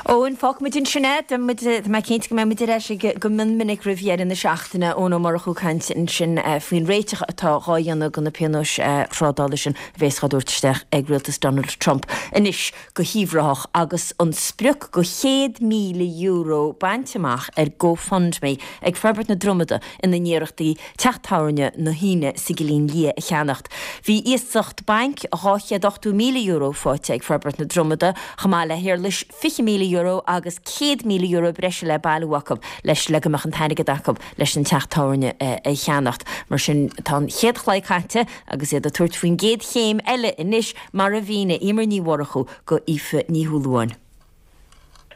Eoin, fágfaimid ansin é. Tá mé cinnte go mbeidh muid ar ais go mion minic roimh dheireadh na seachtaine. Eoin Ó Murchú ag caint ansin faoin réiteach atá dhá dhéanamh do na pionóis thrádála sin a bhéas dhá dtabhairt isteach ag rialtas Donald Trump. Anois. go hUíbh Ráthach agus an sprioc de €100,000 bainte amach ar GoFundMe ag Forbairt na Dromada ina n-iarrachtaí teach tábhairne na hAoine sa gCillín Liath a cheannacht. Bhí iasacht bainc €280,000 faighte ag Forbairt na Dromada chomh maith le héarlais €20,000 agus €100,000 breise le bailiú acu leis le go mbeadh an t-airgead acu leis an teach tábhairne a cheannacht. Mar sin tá an chéad chlaí caite agus iad ag tabhairt faoin gcéad chéim eile anois Mar a mhínigh Emer Ní Mhurchú go Aoife Ní Shúilleabháin.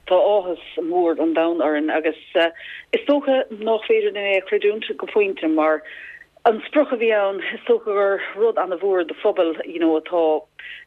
Tá áthas mór an domhain orainn agus is dócha nách féidir linn é a chreidiúint go pointe mar an sprioc a bhí ann, is dócha gur rud ana-mhór do phobal you know atá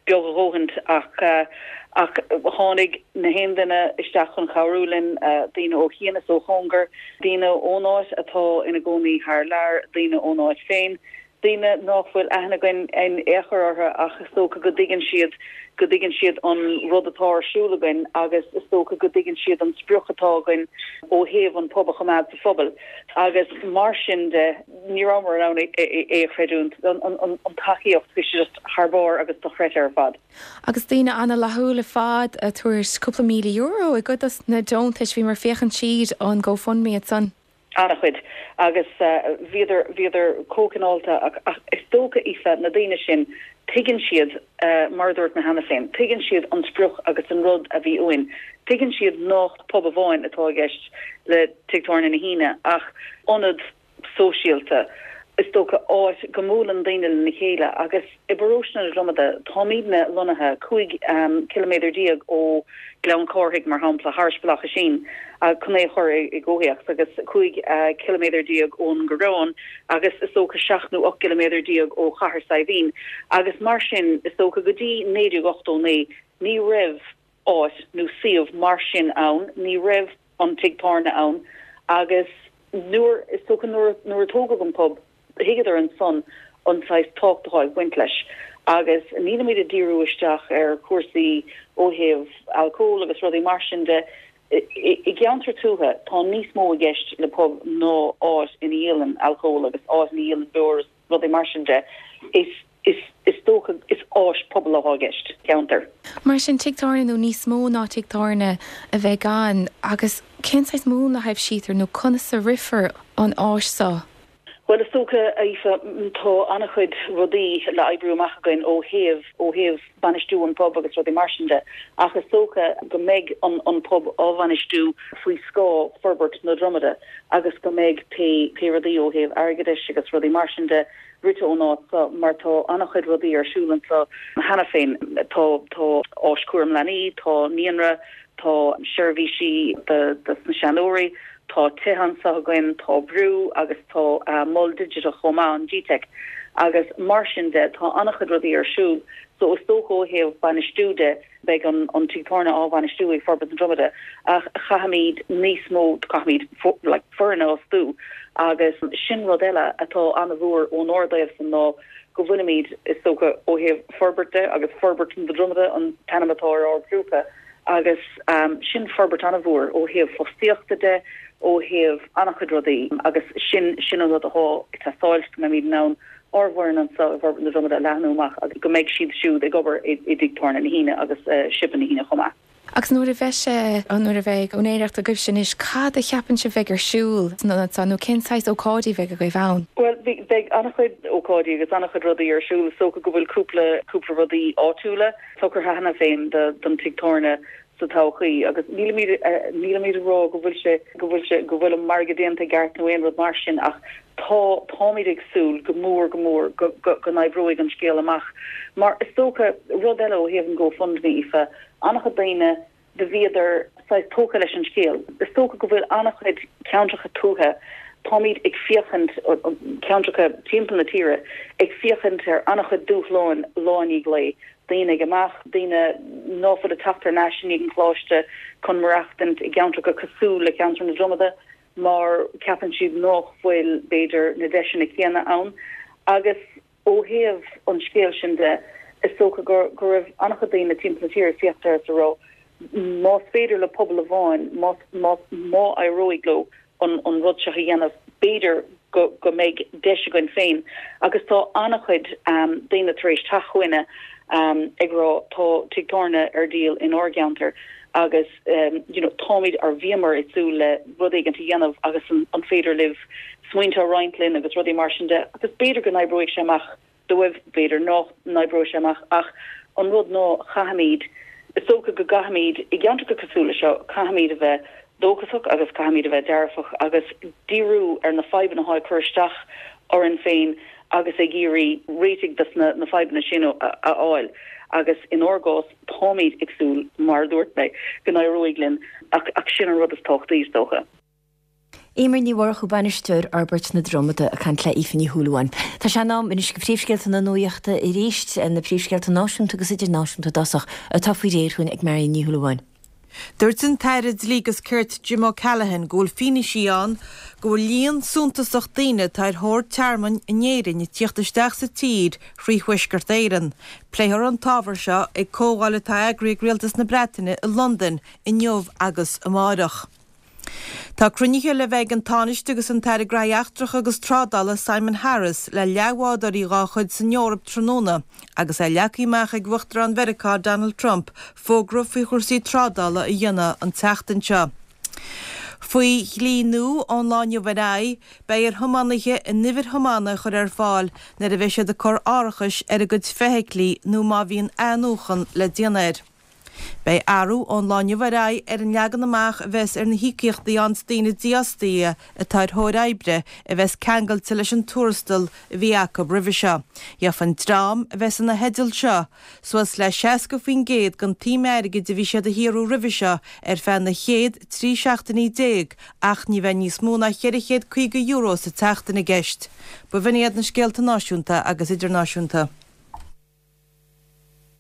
beag a dhóthaint ach ach tháinig na haon duine isteach chun cabhrú linn, daoine ó chian is ó chóngar, daoine ón áit atá ina gcónaí thar lear, daoine ón áit féin. daoine nách bhfuil aithne againn in aon chor orthu ach is dócha go dtuigeann siad, go dtuigeann siad an rud atá ar siúl againn agus is dócha go dtuigeann siad an sprioc atá againn ó thaobh an pub a choimeád sa phobal agus mar sin de ní rabhamar in ann é a chreidiúint, an tacaíocht, bhí sé just thar barr agus dochreidte ar fad. Agus daoine ana-fhlaithiúil ar fad ag tabhairt cúpla €1,000 i gcuid dos na deontais, bhíomar ag féachaint tríd an GoFundMe ansan. An-chuid. Agus bhíodar, bhíodar chomh cineálta ach, ach is dócha, Aoife, na daoine sin, tuigeann siad, mar a dúirt mé cheana féin, tuigeann siad an sprioc agus an rud a bhí uainn. Tuigeann siad nách pub amháin atá i gceist le Tigh Tábhairne na hAoine ach ionad sóisialta, is dócha, áit go mbuaileann daoine lena chéile agus i bparóiste na Dromada, táimidne lonnaithe 15 ciliméadar ó Ghleann Cárthaigh, mar shampla, thairis Bealach Oisín, chun é a chur i gcomhthéacs, agus 15 ciliméadar ón gCoireán agus is dócha 7 nó 18 gciliméadar ó Chathair Saidhbhín. Agus mar sin, is dócha go dtí 1989 ní raibh áit nó suíomh mar sin ann, ní raibh an tigh tábhairne ann agus nuair, is dócha nuair, nuair a tógadh an pub, thuigeadar ansan an saghas tábhacht atá ag baint leis agus nílimid ag díriú isteach ar chúrsaí ó thaobh alcól agus rudaí mar sin de. I gceantar tuaithe tá níos mó i gceist le pub ná áit ina dhíolann alcól agus áit ina dhíolann beoir is rudaí mar sin de. Is is is dócha is áis pobail atá i gceist, ceantar. Mar sin, tigh tábhairne nó níos mó ná tigh tábhairne a bheidh ann agus cén saghas múnla a thaibhsítear nó conas a rithfear an áis seo? Bhuel, is dócha, a Aoife, tá an-chuid rudaí le oibriú amach againn ó thaobh, ó thaobh bainistiú an pub agus rudaí mar sin de, ach is dócha go mbeidh an, an pub á bhainistiú faoi scáth Forbairt na Dromada agus go mbeidh pé, pé rudaí ó thaobh airgeadais agus rudaí mar sin de rite ón áit seo mar tá an-chuid rudaí ar siúl anseo cheana féin. Tá, tá áis cúram leanaí, tá naíonra, tá seirbhísí do, dos na seanóirí, Tá tithe anseo againn, tá brú agus tá mol digiteach chomh maith, an GTeic, agus mar sin de tá an-chuid rudaí ar siúl. So is dócha ó thaobh bainistiú de beidh an an tigh tábhairne á bhainistiú ag Forbairt na Dromada ach caithfimid níos mó, caithfimid like foireann a fhostú agus sin rud eile atá an-mhór ónár dtaobhsan ná go bhfuilimid is dócha ó thaobh forbairt de agus Forbairt na Dromada an t-ainm atá ar ár grúpa, Agus sin forbairt an-mhór ó thaobh fostaíochta de, ó thaobh an-chuid rudaí agus sin, sin an rud atá ag teastáil, go mbeimid in ann. ár bhfoireann anseo i bhForbairt na Dromada a leathnú amach agus go mbeidh siad siúd ag obair i dTigh Tábhairne na hAoine agus Siopa na hAoine chomh maith. Agus nuair a bheidh sé, nuair a bheidh úinéireacht agaibhse anois, cad a cheapann sibh bheidh ar siúl san ionad seo nó cén saghas ócáidí a bheidh agaibh ann? Bhuel, beidh an-chuid ócáidí agus an-chuid rudaí ar siúl. Is dócha go bhfuil cúpla, cúpla rudaí áitiúla socraithe cheana féin don tigh tábhairne sa todhchaí agus nílimid, nílimid ag rá go bhfuil sé, go bhfuil sé, go bhfuil an margadh déanta i gceart nó aon rud mar sin ach tá, táimid ag súil go mór go mór go, go, go n-oibreoidh an scéal amach. Mar is dócha, rud eile ó thaobh an GoFundMe, Aoife, An-chuid daoine do bhíodar saghas tógtha leis an scéal. Is dócha go bhfuil an-chuid ceantracha tuaithe, táimid ag féachaint, ceantracha timpeall na tíre, ag féachaint ar an-chuid dúshláin lá i ndiaidh lae, daoine ag imeacht, daoine ná fuil ag teacht thar n-ais i ndiaidh an choláiste chun maireachtaint i gceantracha cosúil le ceantar na Dromada mar ceapann siad nách bhfuil, b'fhéidir, na deiseanna céanna ann agus. Ó thaobh an scéil sin de, is dócha go go raibh an-chuid daoine timpeall na tíre ag féachaint air is ag rá, más féidir le pobal amháin, más, más, má éireoidh leo an, an rud seo a dhéanamh, b'fhéidir go, go mbeidh deis againn féin. Agus tá an-chuid daoine tar éis teacht chugainne ag rá tá tigh tábhairne ar díol inár gceantar agus you know táimid or bhíomar ag súil le rud éigin a dhéanamh agus an, an féidir libh smaointe a roinnt linn agus rudaí mar sin de agus b'fhéidir go n-oibreoidh sé amach dóibh, b'fhéidir nach n-oibreoidh sé amach ach an rud ná caithfimid, is dócha go gcaithfimid, i gceantracha cosúil le seo, caithfimid a bheith dóchasach agus caithfimid a bheith dearfach agus díriú ar na fadhbanna atá ag cur isteach orainn féin agus ag iarraidh réitigh dos na na fadhbanna sin a fháil agus inár gcás táimid ag súil, mar a dúirt mé, go n-éireoidh linn ach ach sin an rud is tábhachtaí is dócha. Eimear Ní Mhurchú, Bainisteoir Fhorbairt na Dromada, ag caint le Aoife Ní Shúilleabháin. Tá sé in am anois do phríomhscéalta na nuachta arís, na príomhscéalta náisiúnta agus idirnáisiúnta i dtosach, atá faoi réir chugainn ag Marion Ní Shúilleabháin. Dúirt an tAire Dlí agus Cirt Jim O'Callaghan go bhfuil fianaise ann go bhfuil líon suntasach daoine atá ar thóir tearmainn in Éirinn ag tíocht isteach sa tír thrí Thuaisceart Éireann. Pléifear an t-ábhar seo ag comhdháil atá eagraithe ag Rialtas na Breataine i Londain inniu agus amáireach. Tá cruinnithe le bheith ag an Tánaiste agus an tAire Graithí Eachtracha agus Trádála Simon Harris le leathbhádóirí dhá chuid san Eoraip tráthnóna agus é leagtha amach ag Uachtarán Mheiriceá Donald Trump fógra faoi chúrsaí trádála a dhéanamh an tseachtain seo. Faoi dhlí nua ón lá inniu ar aghaidh, beidh ar thiománaithe a n-uimhir thiomána a chur ar fáil nuair a bheidh siad ag cur árachais ar a gcuid feithiclí nó má bhíonn athnuachan le déanamh air. Beidh athrú ón lá inniu ar aghaidh ar an leagan amach a bheas ar na híocaíochtaí a fhaigheanns daoine dífhostaithe atá ar thóir oibre a bheas ceangailte leis an tuarastal a bhí acu roimhe seo. Gheofa an dream a bheas ina theideal seo suas le 60% den tsuim airgid a bhí siad a shaothrú roimhe seo ar feadh na chéad 13 seachtainí ach ní bheidh níos mó ná €450 sa tseachtain i gceist. B'in iad na scéalta náisiúnta agus idirnáisiúnta.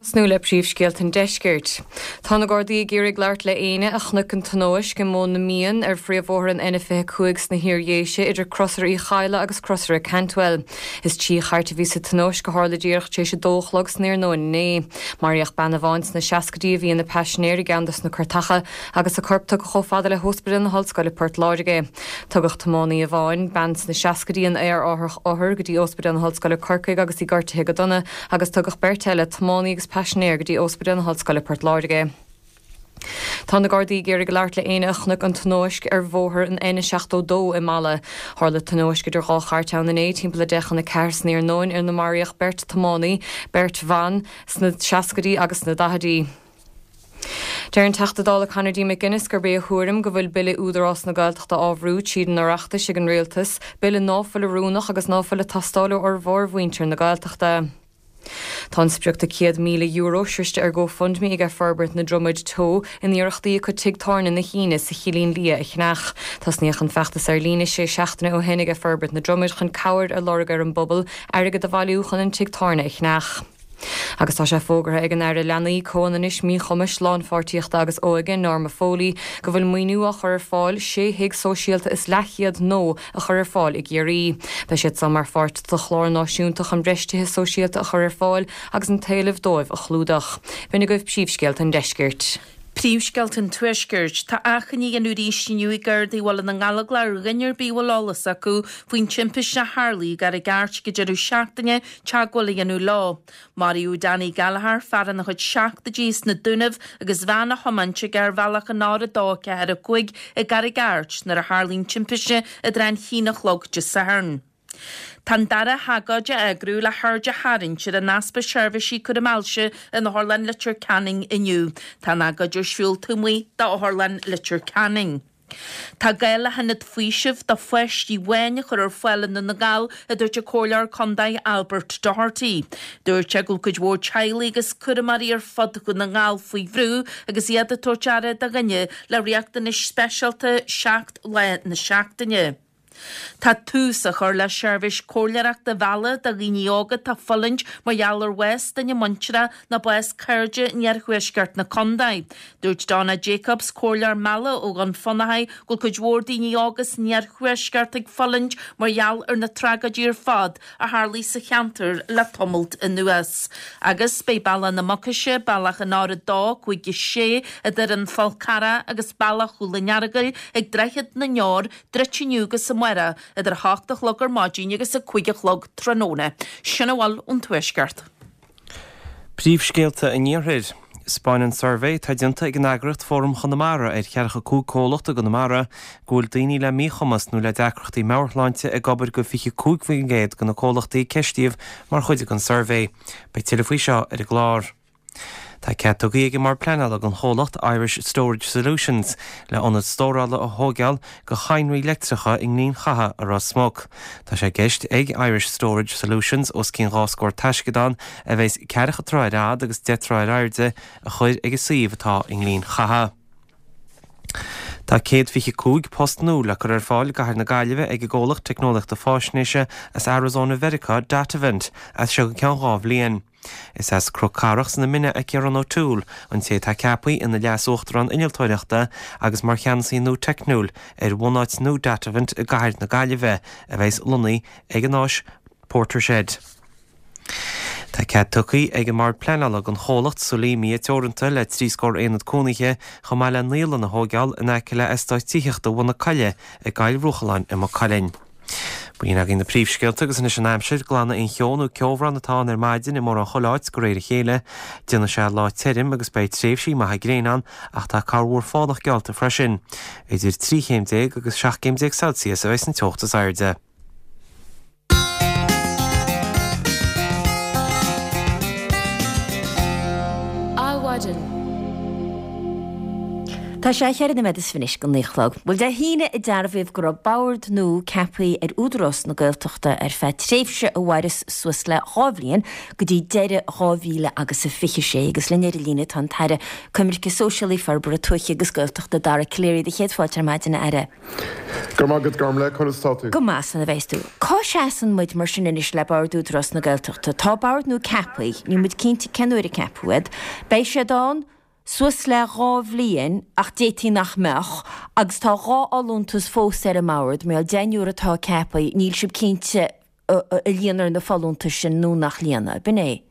Tosnú le príomhscéalta an deiscirt. Tá na Gardaí ag iarraidh labhairt le éinne a chonaic an tionóisc i Móin na Mian ar phríomhbhóthar an N25 sna hIar-Dhéise idir Crosaire Uí Chadhla agus Crosaire Cantwell. Is trí chairt a bhí sa tionóisc a tharla díreach tar éis a dó a chlog san iarnóin inné. Maraíodh bean amháin sna seascaidí a bhí ina paisinéir i gceann dos na cairteacha agus a corp tugtha chomh fada le hOspidéal na hOllscoile Port Láirge. Tugadh tiománaí amháin, bean sna seascaidí, in aerárthach othar go dtí Ospidéal na hOllscoile Corcaigh agus í gortaithe go dona agus tugadh beirt eile, tiománaí agus paisinéir, go dtí Ospidéal na hOllscoile Port Láirge. Tá na Gardaí ag iarraidh labhairt le éinne a chonaic an tionóisc ar bhóthar an N72 i Mala. Tharla tionóisc idir dhá chairt ann inné timpeall a deich chun a ceathair san iarnóin ina maraíodh beirt tiománaí, beirt bhan sna seascaidí agus sna daichidí. Deir an Teachta Dála Conor D. McGuinness gurb é a thuairim go bhfuil Bille Údarás na Gaeltachta á bhrú tríd an Oireachtas ag an Rialtas, bille ná fuil oiriúnach agus ná fuil ag teastáil ó fhormhór mhuintir na Gaeltachta. Tá an sprioc de €100,000 sroiste ar GoFundMe aige Forbairt na Dromaid Teo in iarrachtaí acu tigh tábhairne na hAoine sa Chillín Liath a cheannach. Tosnaíodh an feachtas ar líne sé seachtaine ó shin aige Forbairt na Dromaid chun cabhair a lorg ar an bpobal airgead a bhailiú chun an tigh tábhairne a cheannach. Agus tá sé fógartha ag an Aire Leanaí, Comhionannais, Míchumais, Lánpháirtíochta agus Óige, Norma Foley, go bhfuil maoiniú á chur ar fáil sé thigh sóisialta is leathchéad nua a chur ar fáil i gCiarraí. Beidh siad seo mar pháirt de chlár náisiúnta chun breis tithe sóisialta a chur ar fáil agus an t-éileamh dóibh a chlúdach. B'in agaibh príomhscéalta an deiscirt. Príomhscéalta an Tuaiscirt. Tá achainí á dhéanamh arís inniu ag Gardaí Bhaile na nGallóglach ar dhuine ar bith a bhfuil eolas acu faoin timpiste a tharlaigh i gCarraig Airt ag an deireadh seachtaine teagmháil a dhéanamh leo. Maraíodh Danny Gallagher, fear ina chuid seachtóidí as na Dúnaibh agus veain á thiomáint aige ar bhealach an R2 4 5 i gCarraig Airt nuair a tharlaigh an timpiste i dtrátha an haon a chlog Dé Sathairn. Tá an dara hagóid á eagrú le haird a tharraingt ar an easpa seirbhísí cúraim ailse in Otharlann Leitir Ceanainn inniu. Tá an agóid ar siúl taobh amuigh d'Otharlann Leitir Ceanainn. Tá gá le hionad faoisimh do pháistí amháin a chur ar fáil i nDún na nGall, a dúirt an Comhairleoir Contae Albert Doherty. Dúirt sé go bhfuil cuid mhór teaghlaigh agus cúramóirí ar fud Dhún na nGall faoi bhrú agus iad ag tabhairt aire do dhuine le riachtanais speisialta 7 lá na seachtaine. Tá tús á chur le seirbhís comhairleoireachta mheala do dhaoine óga atá ag fulaingt mar gheall ar bhás duine muintire nó bás cairde in iarthuaisceart na contae. Dúirt Donna Jacobs, comhairleoir meala ó Dhún Fionnachaidh, go bhfuil cuid mhór daoine óga san iarthuaisceart ag fulaingt mar gheall ar na tragóidí ar fad a tharlaigh sa cheantar le tamalt anuas. Agus beidh Bealach na Mucaise, bealach an R2, 5, 6, idir an Fál Carrach agus Bealach Chúil an Earagail ag Droichead na nDeor, druidte inniu agus amárach idir 8 a chlog ar maidin agus 5 a chlog tráthnóna. Sin a bhfuil ón Tuaisceart. Príomhscéalta an Iarthair. 'Spáineann suirbhé atá déanta ag an eagraíocht Fóram Chonamara ar 45 comhlacht i gConamara go bhfuil daoine le míchumas nó le deacrachtaí meabhairshláinte ag obair go 25% de na comhlachtaí a ceistíodh mar chuid den suirbhé. Beidh tuilleadh faoi seo ar an gclár. Tá cead tugtha ag an mBord Pleanála don chomhlacht Irish Storage Solutions le ionad stórála a thóigeáil do chadhnraí leictreacha i nGleann Chatha i Ros Muc. Tá sé i gceist ag Irish Storage Solutions os cionn 2 scór taisceadán a bheas ceathracha troigh ar fhad agus 10 troigh ar airde a chur ag an suíomh atá i nGleann Chatha. Tá 125 post nua le cur ar fáil i gcathair na Gaillimhe ag an gcomhlacht teicneolaíochta fáisnéise as Arizona Mheiriceá, Datavant, as seo go ceann 2 bhliain. Is as Cnoc Carrach sna Mine é Ciarán O'Toole, an té atá ceaptha ina Leas-Uachtarán Innealtóireachta agus mar Cheannasaí nua Teicniúil ar bhunáit nua Datavant i gcathair na Gaillimhe, a bheas lonnaithe ag an áis PorterShed. Tá cead tugtha ag an mBord Pleanála don chomhlacht Solemia Teoranta le 3 scór aonad cónaithe chomh maith le naíolann a thóigeáil in aice le eastát tithíochta Bhun na Coille i gCoill Rúchalláin i Maigh Cuilinn. B'in againn na príomhscéalta agus anois an aimsir, glanfaidh an cheo nó ceobhrán atá ann ar maidin i mórán chuile áit de réir a chéile. Déanfaidh sé lá tirim agus beidh tréimhsí maithe gréine ann ach tá corrmhúr fánach geallta freisin. Idir 13 chéim agus 17 gcéim Celsius a bheidh san teocht is airde. Adhmhaidin. Tá sé cheithre nóiméad is fiche anois go naoi a chlog. Bhuel, Dé hAoine a dearbhaíodh go raibh bord nua ceaptha ar Údarás na Gaeltachta ar feadh tréimhse a mhairfeas suas le 2 bhliain, go dtí deireadh 2000 agus a 26. Agus linn ar an líne tá an tAire Coimirce Sóisialaí, Forbartha Tuaithe agus Gaeltachta, Dara Calleary. Do chéad fáilte ar maidin, a Aire. Go raibh maith agat, Gormlaith, conas atá tú? Go maith, san a bheas tú. Cá seasann muid mar sin anois le Bord Údarás na Gaeltachta? Tá bord nua ceaptha, níl muid cinnte cén uair a ceapadh iad. Beidh siad ann suas le 2 bhliain ach d'fhéadfaí nach mbeadh, agus tá 2 fholúntas fós ar an mbord, mar gheall deichniúr atá ceaptha, níl sibh cinnte an líonfar na folúntais sin nó nach líonfaidh, b'in é?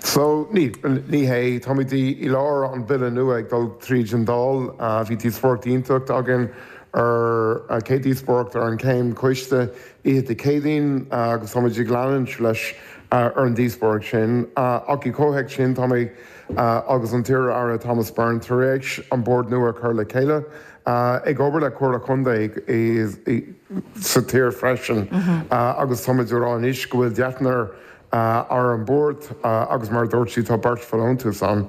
So, ní, ní hé. Táimid i lár an Bille nua ag dul tríd an Dáil. Bhí díospóireacht iontach againn ar, chéad díospóireacht ar an chéim choiste oíche Dé Céadaoin agus táimid ag leanúint leis ar an díospóireacht sin. Ach i gcomhthéacs sin, tá mé agus an t-iar-Aire Thomas Byrne tar éis an bord nua a chur le chéile, ag obair le Comhairle Contae sa tír freisin agus táimid ag rá anois go bhfuil deichniúr ar an bord agus mar a dúirt tú tá beirt folúntas ann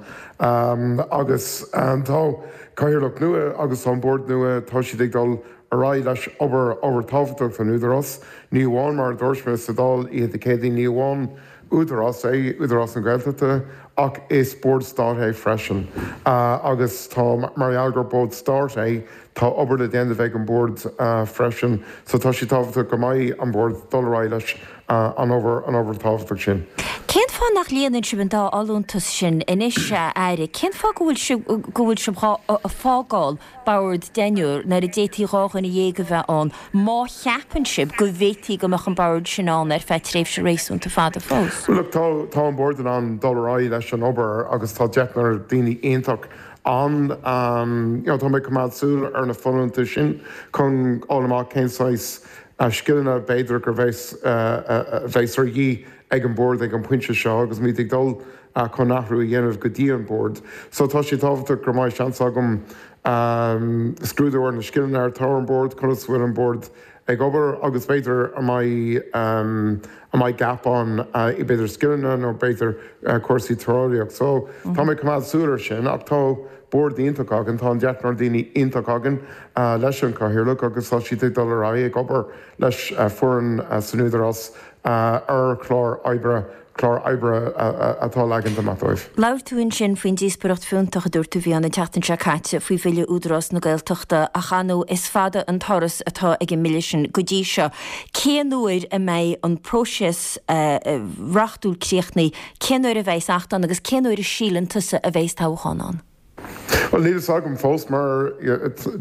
agus tá cathaoirleach nua agus tá an bord nua, tá siad ag dul ar aghaidh leis obair, obair tábhachtach don Údarás. Ní amháin mar a dúirt mé sa Dáil oíche Dé Céadaoin, ní amháin Údarás é Údarás na Gaeltachta ach is bord stáit é freisin agus tá, mar gheall gur bord stáit é, tá obair le déanamh ag an bord freisin so tá sé tábhachtach go mbeidh an bord dul ar aghaidh leis an obair, an obair tábhachtach sin. Cén fáth? fáth nach líonann sibh an dá fholúntas sin anois, a Aire? Cén fáth go bhfuil sibh, go bhfuil sibh dhá fágáil bord deichniúr nuair a d'fhéadfaí 12 dhuine a bheith ann, má cheapann sibh go bhféadfaí go mbeadh an bord sin ann ar feadh tréimhse réasúnta fada fós? Bhuel, look, tá, tá an bord in ann dul ar aghaidh leis an obair agus tá deichniúr daoine iontach ann. You know, tá mé ag coimeád súil ar na folúntais sin chun fháil amach cén saghas scileanna b'fhéidir gur bheas, a bheas ar dhíth ag an bord ag an pointe seo agus muid ag dul chun athrú a dhéanamh go dtí an bord. So tá sé tábhachtach go mbeidh seans agam scrúdú ar na scileanna atá ar an bord, conas a bhfuil an bord ag obair agus b'fhéidir an mbeidh an mbeidh gap ann i b'fhéidir scileanna nó b'fhéidir cúrsaí tíreolaíocht. So tá mé ag coimeád súil ar sin ach tá bord iontach againn, tá an deichniúr daoine iontach againn leis an Cathaoirleach agus tá siad ag dul ar aghaidh ag obair leis foireann san Údarás ar chlár oibre clár oibre atá leaganta amach dóibh. Labhair tú ansin faoin díospóireacht fiúntach a dúirt tú a bhí ann an tseachtain seo caite faoi bhille Údarás na Gaeltachta ach ar ndóigh is fada an turas atá ag an mbille sin go dtí seo. Cén uair a mbeidh an próiseas reachtúil críochnaithe, cén uair a bheidh acht ann agus cén uair a síleann tusa a bheidh toghchán ann? Bhuel, níl fhios agam fós mar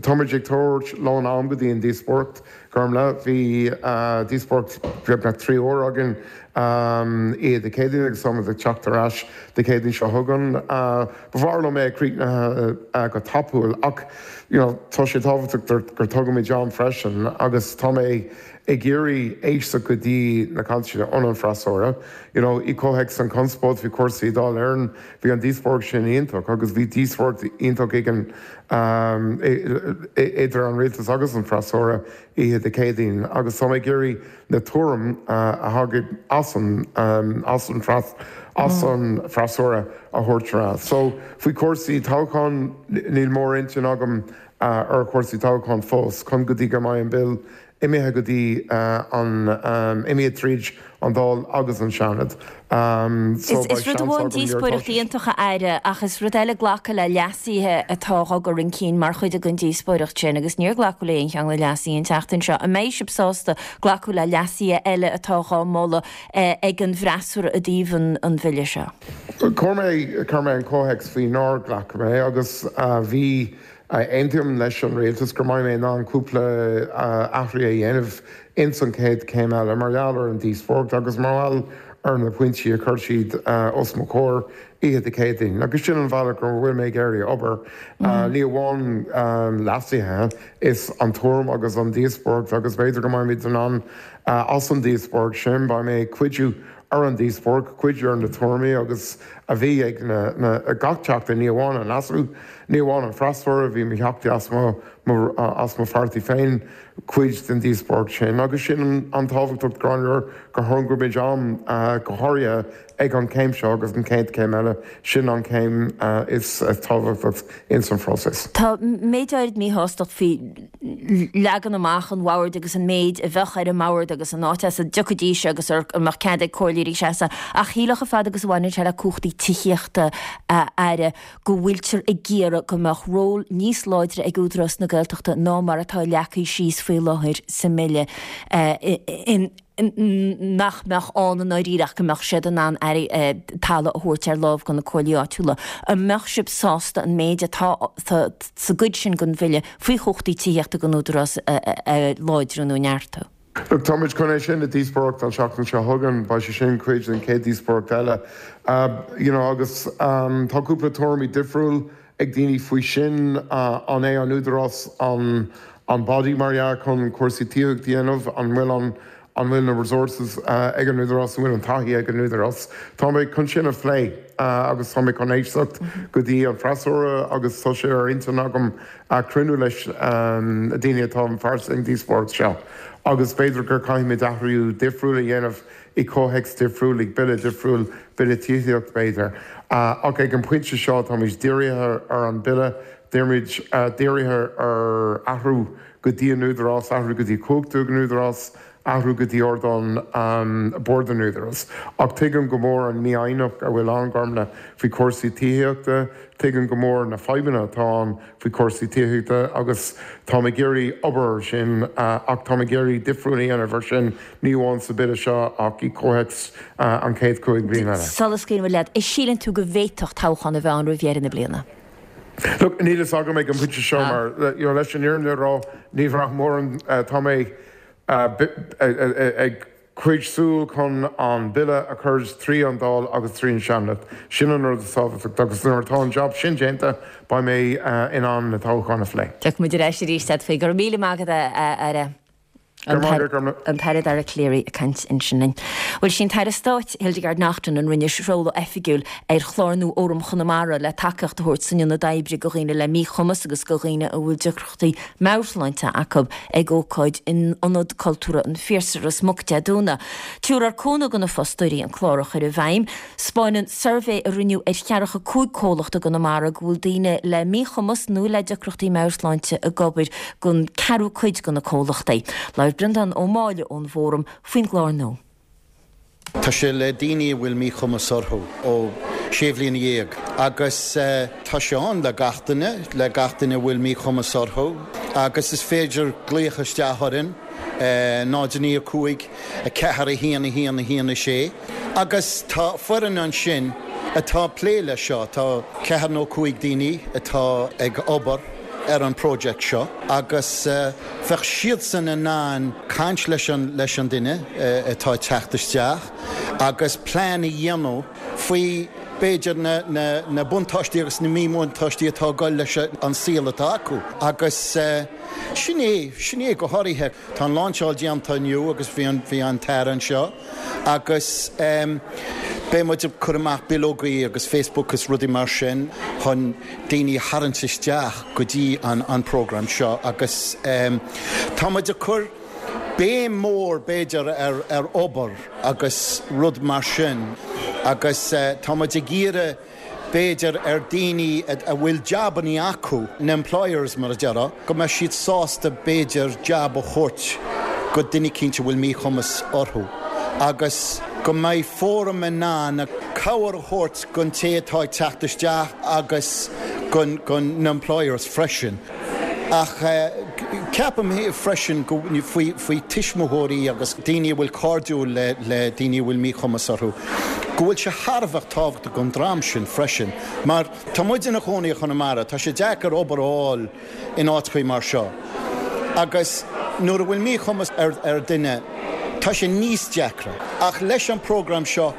táimid ag tabhairt lán am go dtí an díospóireacht, Gormlaith. Bhí díospóireacht beagnach 3 uair againn oíche Dé Céadaoin agus táimid ag teacht ar ais Dé Céadaoin seo chugainn. Ba bhreá liom é a críochnaithe go tapúil ach you know tá sé tábhachtach gur tugaimid am freisin agus tá mé ag iarraidh éisteacht go dtí na cainteanna ón an freasúra. You know i comhthéacs an conspóid faoi chúrsaí Dáil Éireann, Bhí an díospóireacht sin iontach agus bhí díospóireacht iontach ag an idir an rialtas agus an freasúra oíche Dé Céadaoin agus tá mé ag iarraidh na tuairim a thagann as an as an as an freasúra a thabhairt ar ais. So faoi chúrsaí toghcháin níl mór-intinn agam ar chúrsaí toghcháin fós chun go dtí go mbeidh an Bill imithe go dtí an, imithe tríd an Dáil agus an Seanad. So beidh Is rud seans amháin agam nuair atá díospóireacht sé. iontach a Aire ach is rud eile glacadh le leasuithe atá á gcur chun cinn mar chuid den díospóireacht sin agus níor glacadh le aon cheann de na leasuithe an tseachtain seo. An mbeidh sibh sásta glacadh le leasuithe eile atá á moladh ag an bhfreasúra i dtaobh an bhille seo? Chuir mé, chuir mé an comhthéacs faoi nár ghlac mé agus bhí Aontaím leis an Rialtas go mbeidh mé in ann cúpla athrú a dhéanamh ins an chéad chéim eile mar gheall ar an díospóireacht agus mar gheall ar na pointí a chuir siad os mo chomhair oíche Dé Céadaoin. Agus sin an bhealach go bhfuil mé ag iarraidh obair. Ní amháin leasuithe, is an tuairim agus an díospóireacht agus b'fhéidir go mbeimid in ann as an díospóireacht sin, beidh mé ag cuidiú ar an díospóireacht, cuidiú ar na tuairimí agus a bhí ag na gach teachta, ní amháin an leasú, ní amháin an freasúra, bhí mo theachtaí as mo as mo pháirtí féin cuid den díospóireacht sin agus sin an tábhachtach Gráinne gur thógaimid am go háirithe ag an chéim seo agus an chéad chéim eile, sin an chéim is tábhachtach ins an phróiseas. Tá méid áirid míshástacht faoi leagan amach an bhoird agus an méid a bheadh ar an mbord agus an áit as a dtiocfaidís agus an mbeadh cead ag comhairleoirí seasamh. Ach shílfeá chomh fada agus a bhaineann sé le cumhachtaí tithíochta a Aire go bhfuiltear ag iarraidh go mbeadh ról níos láidre ag Údarás na Gaeltachta ná mar atá leagtha síos faoi láthair sa mBille. In. nach mbeadh ann i ndáiríre ach go mbeadh siad in ann talamh a thabhairt ar láimh do na comhairlí áitiúla. An mbeadh sibh sásta an méid atá sa gcuid sin den bhille faoi chumhachtaí tithíochta don Údarás a láidriú nó a neartú? Look, táimid chun é sin a díospóireacht an seachtain seo chugainn, beidh sé sin cuid den chéad díospóireacht eile. You know, agus tá cúpla tuairimí difriúil ag daoine faoi sin, an é an Údarás an an body mar dhea chun cúrsaí tithíochta a dhéanamh, an bhfuil an an bhfuil na resources ag an Údarás, an bhfuil an taithí ag an Údarás. Tá mé chun sin a phlé agus tá mé chun éisteacht go dtí an freasúra agus tá sé ar intinn agam cruinniú leis na daoine atá páirteach san díospóireacht seo agus b'fhéidir gur caithfimid athrú difriúil a dhéanamh i comhthéacs difriúil, ag bille difriúil, bille tithíochta b'fhéidir. Ach ag an bpointe seo táimid dírithe ar an bille, táimid dírithe ar athrú go dtí an Údarás, athrú go dtí cumhachtú an Údarás. athrú go dtí ardán Bord an Údaráis. Ach tuigim go mór an mífhoighneacht a bhfuil ann, Gormlaith, faoi chúrsaí tithíochta, tuigim go mór na fadhbanna atá ann faoi chúrsaí tithíochta agus táim ag iarraidh obair air sin ach táim ag iarraidh difriúil a dhéanamh air sin, ní amháin sa Bille seo ach i gcomhthéacs an chéad chúig bliana eile. Sula scaoileann muid leat, an síleann tú go bhféadfadh toghchán a bheith ann roimh dheireadh na bliana? Look, níl fhios agam ag an bpointe seo mar, you know, leis an fhírinne a rá, ní bhraithim mórán, tá mé ag coinneáil súil chun an Bille a chur trí an Dáil agus trí an Seanad. Sin an rud is tábhachtach agus nuair atá an jab sin déanta, beidh mé in ann na toghcháin a phlé. Tiocfaidh muid ar ais arís leat faoi. Go raibh míle maith agat, a Aire. An tAire Dara Calleary ag caint ansin linn. Bhuel, sí an tAire Stáit, Hildegarde Naughton, a rinne seoladh oifigiúil ar chlár nua Fhóram Chonamara le tacaíocht a thabhairt san ionad oibre go dhaoine le míchumas agus go dhaoine a bhfuil deacrachtaí meabhairshláinte acu ag ócáid in Ionad Cultúrtha an Phiarsaigh, Ros Muc, Dé Domhnaigh. Tabharfar cúnamh do na fostóirí an clár a chur i bhfeidhm. 'Spáineann suirbhé a rinneadh ar cheathracha 5 comhlacht i gConamara go bhfuil daoine le míchumas nó le deacrachtaí meabhairshláinte ag obair don ceathrú cuid de na comhlachtaí. Labhair Breandán Ó Máille ón bhFóram faoin gclár nua. Tá sé le daoine a bhfuil míchumas orthu ó sé bhliana dhéag agus tá sé ann le gach duine, le gach duine a bhfuil míchumas orthu agus is féidir glaoch isteach orainn, 0 9 5 4 1 1 1 6 agus tá foireann ansin atá ag plé leis seo, tá ceathair nó cúig daoine atá ag obair ar an project seo agus bheadh siadsan in ann caint leis an leis an duine atá ag teacht isteach agus plean a dhéanamh faoi b'fhéidir na na na buntáistí agus na míbhuntáistí atá ag dul leis an saol atá acu agus sin é sin é go háirithe. Tá an láinseáil déanta inniu agus bhí an bhí an tAire anseo agus beidh muid ag cur amach bileogaí agus Facebook agus rudaí mar sin chun daoine a tharraingt isteach go dtí an an program seo agus tá muid ag cur béim mór b'fhéidir ar ar obair agus rud mar sin agus tá muid ag iarraidh b'fhéidir ar daoine a bhfuil jabannaí acu, na employers mar a déarfá, go mbeadh siad sásta b'fhéidir jab a thabhairt go duine eicínt a bhfuil míchumas orthu agus go mbeidh Fóram in ann cabhair a thabhairt gon té atá ag teacht isteach agus gon na employers freisin. Ach ceapaim freisin go faoi faoi tuismitheoirí agus daoine a bhfuil cairdiúil le le daoine a bhfuil míchumas orthu, go bhfuil sé thar a bheith tábhachtach don dream sin freisin. Mar tá muid ina chónaí i Chonamara, tá sé deacair obair a fháil in áiteachaí mar seo. Agus nuair a bhfuil míchumas ar ar duine, tá sé níos deacra. Ach leis an program seo,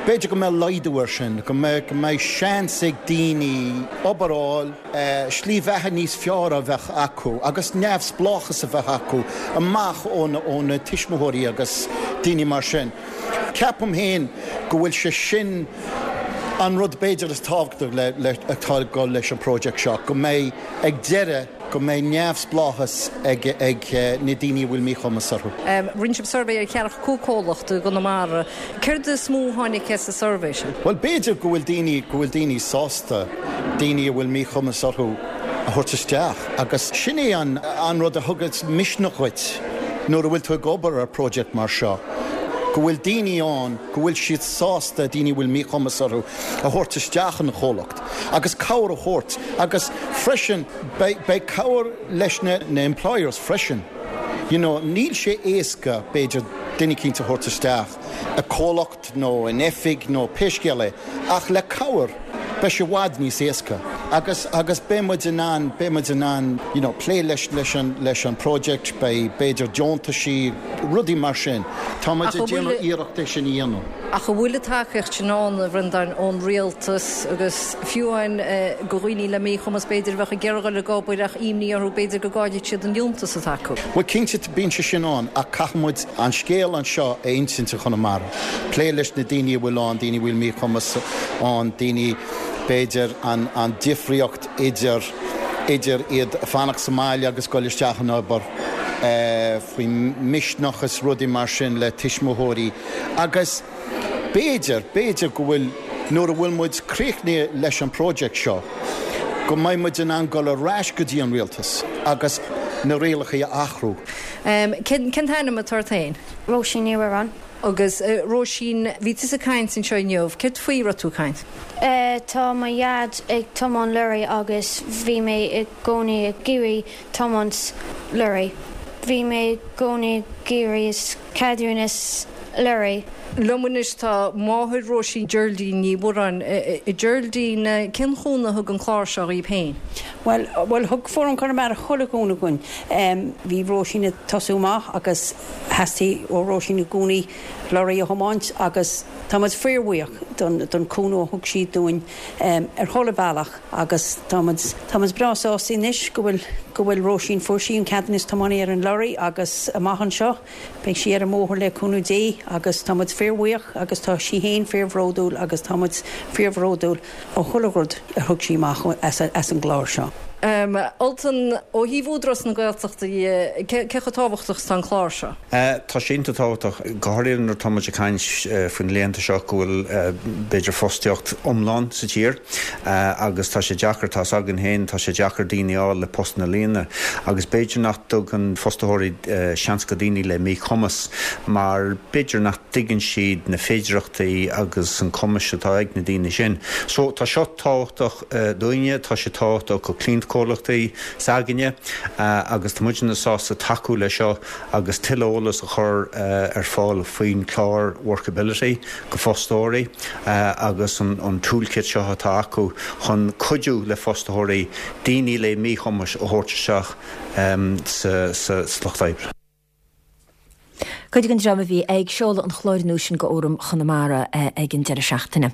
b'fhéidir go mbeidh laghdú air sin, go mbeidh go mbeidh seans ag daoine obair a fháil, slí bheatha níos fearr a bheith acu agus neamhspleáchas a bheith acu amach ó na tuismitheoirí agus daoine mar sin. Ceapaim féin go bhfuil sé sin an rud b'fhéidir is tábhachtaí le atá ag dul leis an project seo, go mbeidh ag deireadh go mbeidh neamhspleáchas ag na daoine a bhfuil míchumas orthu. Rinne sibh suirbhé ar cheathracha 5 comhlacht i gConamara. Céard is mó a tháinig as an suirbhé sin? Bhuel, b'fhéidir go bhfuil daoine, go bhfuil daoine sásta daoine a bhfuil míchumas orthu a thabhairt isteach agus sin é an, an rud a thugas misneach dhuit nuair a bhfuil tú ag obair ar project mar seo, go bhfuil daoine ann, go bhfuil siad sásta daoine a bhfuil míchumas orthu a thabhairt isteach ina chomhlacht agus cabhair a thabhairt agus freisin beidh, beidh cabhair leis na, na employers freisin. You know, níl sé éasca b'fhéidir duine eicínt a thabhairt isteach i comhlacht nó in oifig nó pé scéal é, ach le cabhair beidh sé i bhfad níos éasca agus, agus beidh muid in ann, beidh muid in ann you know plé leis, leis an, leis an project, beidh b'fhéidir deontaisí, rudaí mar sin. Tá muid ag déanamh iarracht é sin a dhéanamh. Ach an bhfuil an tacaíocht sin ann, a Bhreandáin, ón rialtas agus fiú amháin go dhaoine le míchumas b'fhéidir a bheadh ag iarraidh dul ag obair ach imní orthu b'fhéidir go gcaillfidh siad an liúntas atá acu? Bhuel cinnte bíonn sé sin ann ach caithfidh muid an scéal anseo a insint i Chonamara, plé leis na daoine a bhfuil ann, daoine a bhfuil míchumas ann, daoine b'fhéidir an an difríocht idir idir iad fanacht sa mbaile agus dul isteach in obair, faoi misneach is rudaí mar sin le tuismitheoirí agus b'fhéidir, b'fhéidir go bhfuil, nuair a bhfuil muid críochnaithe leis an project seo, go mbeidh muid in ann dul ar ais go dtí an rialtas agus. na rialacha a athrú. Cén t-ainm atá ort féin? Róisín Ní Mhuireáin. Agus Róisín, bhí tusa ag caint anseo inniu, céard faoi a raibh tú ag caint? Tá mo dhaid ag tiomáint lorry agus bhí mé i gcónaí ag iarraidh tiomáint lorry. Bhí mé i gcónaí ag iarraidh ceadúnas lorry. Liom anois tá máthair Róisín, Geraldine Ní Mhuireáin. A Geraldine, cén chúnamh a thug an clár seo dhaoibh féin? Bhuel, bhuel thug Fóram Chonamara chuile chúnamh dhúinn. Bhí Róisín ag tosú amach agus theastaigh ó Róisín i gcónaí lorry a thiomáint agus tá muid fíorbhuíoch don don cúnamh a thug siad dúinn ar chuile bhealach agus tá muid tá muid breá sásta anois go bhfuil go bhfuil Róisín fuair sí an ceadúnas tiománaí ar an lorry agus amach anseo Beidh sí ar an mbóthar le cúnamh Dé agus tá muid fíorbhuíoch agus tá sí féin fíorbhródúil agus tá muid fíorbhródúil ó chuile rud a thug sí amach as an gclár seo. Ultan, ó thaobh Údarás na Gaeltachta dhe, cé chomh tábhachtach is atá an clár seo? Tá sé iontach tábhachtach, go háirithe nuair atá muid ag caint faoi na laethanta seo go bhfuil b'fhéidir fostaíocht iomlán sa tír. Agus tá sé deacair, tá's againn féin, tá sé deacair daoine a fháil le postanna a líonadh. Agus b'fhéidir nach dtugann fostaitheoirí seans go daoine le míchumas mar b'fhéidir nach dtuigeann siad na féidireachtaí agus an cumais atá ag na daoine sin. So tá seo tábhachtach dúinne, tá sé tábhachtach go cliantchomhlachtaí s'againne agus tá muidne sásta tacú le seo agus tuilleadh eolas a chur ar fáil faoin chlár Workability. go fostóirí agus an toolkit seo atá acu chun cuidiú le fostaitheoirí daoine le míchumais a thabhairt isteach sa lucht oibre. Cuid den dream a bhí ag seoladh an chláir nua sin go Fhóram Chonamara ag an deireadh seachtaine.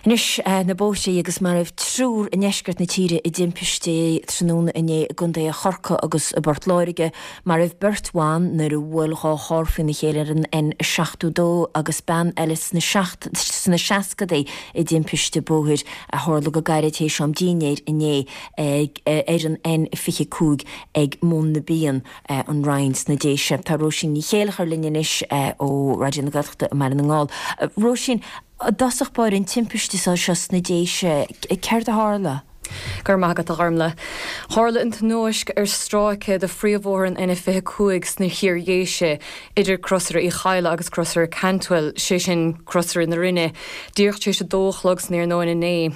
Anois na bóithre agus maraíodh triúr i ndeisceart na tíre i dtimpistí tráthnóna inné i gContaetha Chorcaí agus i bPort Láirge. Maraíodh beirt bhan nuair a bhuail 2 charr faoina chéile ar an N72 agus bean eile sna sna seascadaí i dtimpiste bóthair a tharla go gairid théis am dinnéir inné ar an N25 ag Móin na bPian, An Rinn sna Déise. Tá Róisín Ní Chéilleachair linn anois ó Raidió na Gaeltachta i mBaile na nGall. Róisín, i dtosach báire an timpiste seo sna Déise, céard a tharla? Go raibh maith agat, a Ghormlaith. Tharla an tionóisc ar stráice de phríomhbhóthar an N25 sna hIar-Dhéise, idir Crosaire Uí Chadhla agus Crosaire Cantwell, sé sin, Crosaire na Rinne, díreach tar éis a dó a chlog san iarnóin inné.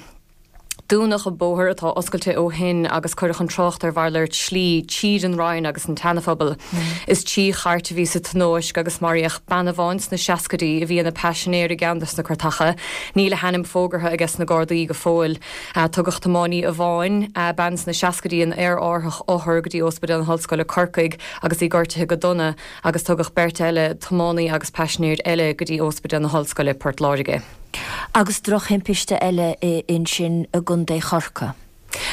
Dúnadh an bóthar, atá oscailte ó shin, agus cuireadh an trácht ar mhalairt slí tríd an Rinn agus an tSeanaphobal. Is 3 chairt a bhí sa tionóisc agus maraíodh bean amháin sna seascaidí a bhí ina paisinéir i gceann des na cartacha. Níl a hainm fógartha ages na Gardaí go fóill. Tugadh tiománaí amháin, bean sna seascaidí, in aerárthach othar go dtí Ospidéal na hOllscoile Corcaigh agus í gortaithe go dona, agus tugadh beirt eile, tiománaí agus paisinéir eile, go dtí Ospidéal na hOllscoile, Port Láirge. Agus drochthimpiste eile ansin i gContae Chorcaí.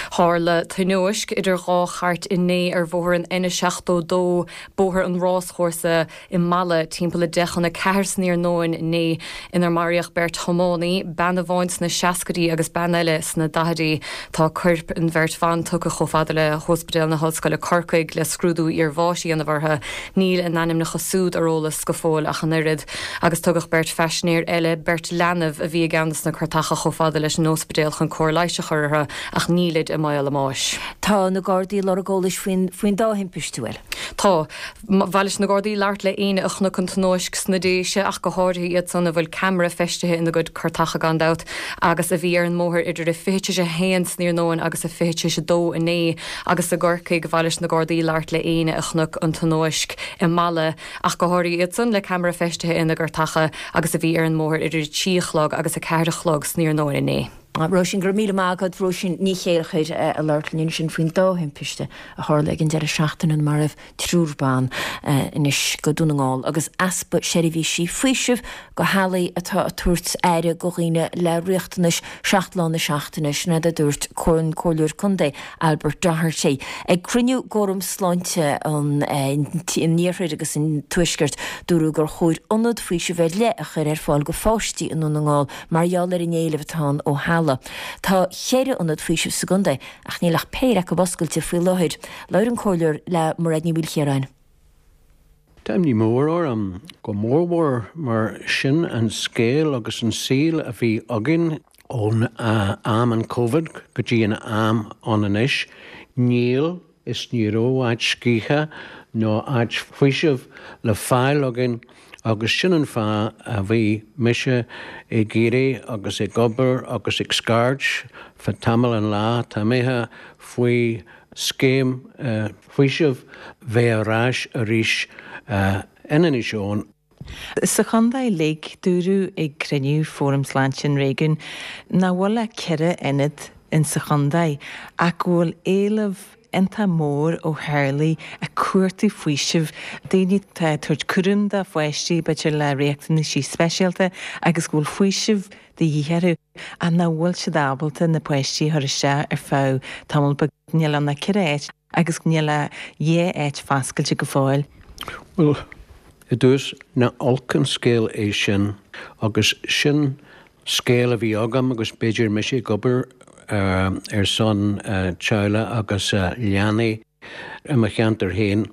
Tharla tionóisc idir dhá chairt inné ar bhóthar an N72, Bóthar an Ráschúrsa, i Mala timpeall a 3:50 san iarnóin inné inar maraíodh beirt thiománaí, bean amháin sna seascaidí agus bean eile sna daichidí. Tá coirp an bheirt bhan tugtha chomh fada le hOspidéal na hOllscoile Corcaigh le scrúdú iarbháis a dhéanamh orthu. Níl a n-ainmneacha súd ar eolas go fóill ach an oiread. Agus tugadh beirt phaisinéir eile, beirt leanbh, a bhí i gceann des na cartacha chomh fada leis an ospidéal chun cóir leighis a chur orthu ach nílid i mbaol a mbáis. Tá na Gardaí ag lorg eolais faoin dá thimpiste, an bhfuil? Tá. Ba mhaith leis na Gardaí labhairt le éinne a chonaic an tionóisc sna Déise, ach go háirithe iad san a bhfuil ceamara feistithe ina gcuid cartacha gan dabht, agus a bhí ar an mbóthar idir a 12:40 san iarnóin agus a 1:40 inné, agus i gCorcaigh, ba mhaith leis na Gardaí labhairt le éinne a chonaic an tionóisc i Mala, ach go háirithe iad san le ceamara feistithe ina gcartacha, agus a bhí ar an mbóthar idir a 3 a chlog agus a 4 a chlog san iarnóin inné. Róisín, Go raibh míle maith agat. Róisín Ní Chéilleachair ag labhairt linn ansin faoin dá thimpiste a tharla ag an deireadh seachtaine inar maraíodh triúr ban. Anois go Dún na nGall agus easpa seirbhísí faoisimh do theaghlaigh atá ag tabhairt aire do dhaoine le riachtanais 7 lá na seachtaine, sin é a dúirt an Comhairleoir Contae Albert Doherty ag cruinniú d'Fhóram Sláinte an Iarthair agus an Tuaiscirt. Dúradh gur chóir ionad faoisimh ar leith a chur ar fáil do pháistí i nDún na nGall Mar gheall ar an éileamh atá ann ó theaghlaigh. Tá cheithre ionad faoisimh sa gcontae ach níl ach péire acu oscailte faoi láthair. Labhair an Comhairleoir le Mairéad Ní Mhaoilchiaráin. Tá imní mór orm, go mórmhór mar sin an scéal agus an saol a bhí againn ón am an Covid go dtí an am ann anois. Níl. is ní raibh áit scíthe nó áit faoisimh le fáil againn agus sin an fáth a bhí mise ag iarraidh agus ag obair agus ag scairt fá tamall an lá atá imithe faoi scéim faoisimh bheith ar ais arís in Inis Eoghain. Sa chontae uilig, dúradh ag cruinniú Fóram Sláinte an Réigiúin nach bhfuil ach 4 ionad in sa chontae ach go bhfuil éileamh iontach mór ó theaghlaigh ag cuartú faoisimh, daoine atá ag tabhairt cúram do pháistí b'fhéidir le riachtanaisí speisialta agus go bhfuil faoiseamh de dhíth orthu ach nach bhfuil siad ábalta na páistí a chur isteach ar feadh tamall beag. Níl ann ach 4 áit agus níl ach 2 áit foscailte go fóill. Bhuel, i dtús, nach olc an scéal é sin agus sin scéal a bhí agam agus b'fhéidir mise ag obair ar son teaghlaigh agus leanaí i mo cheantar féin.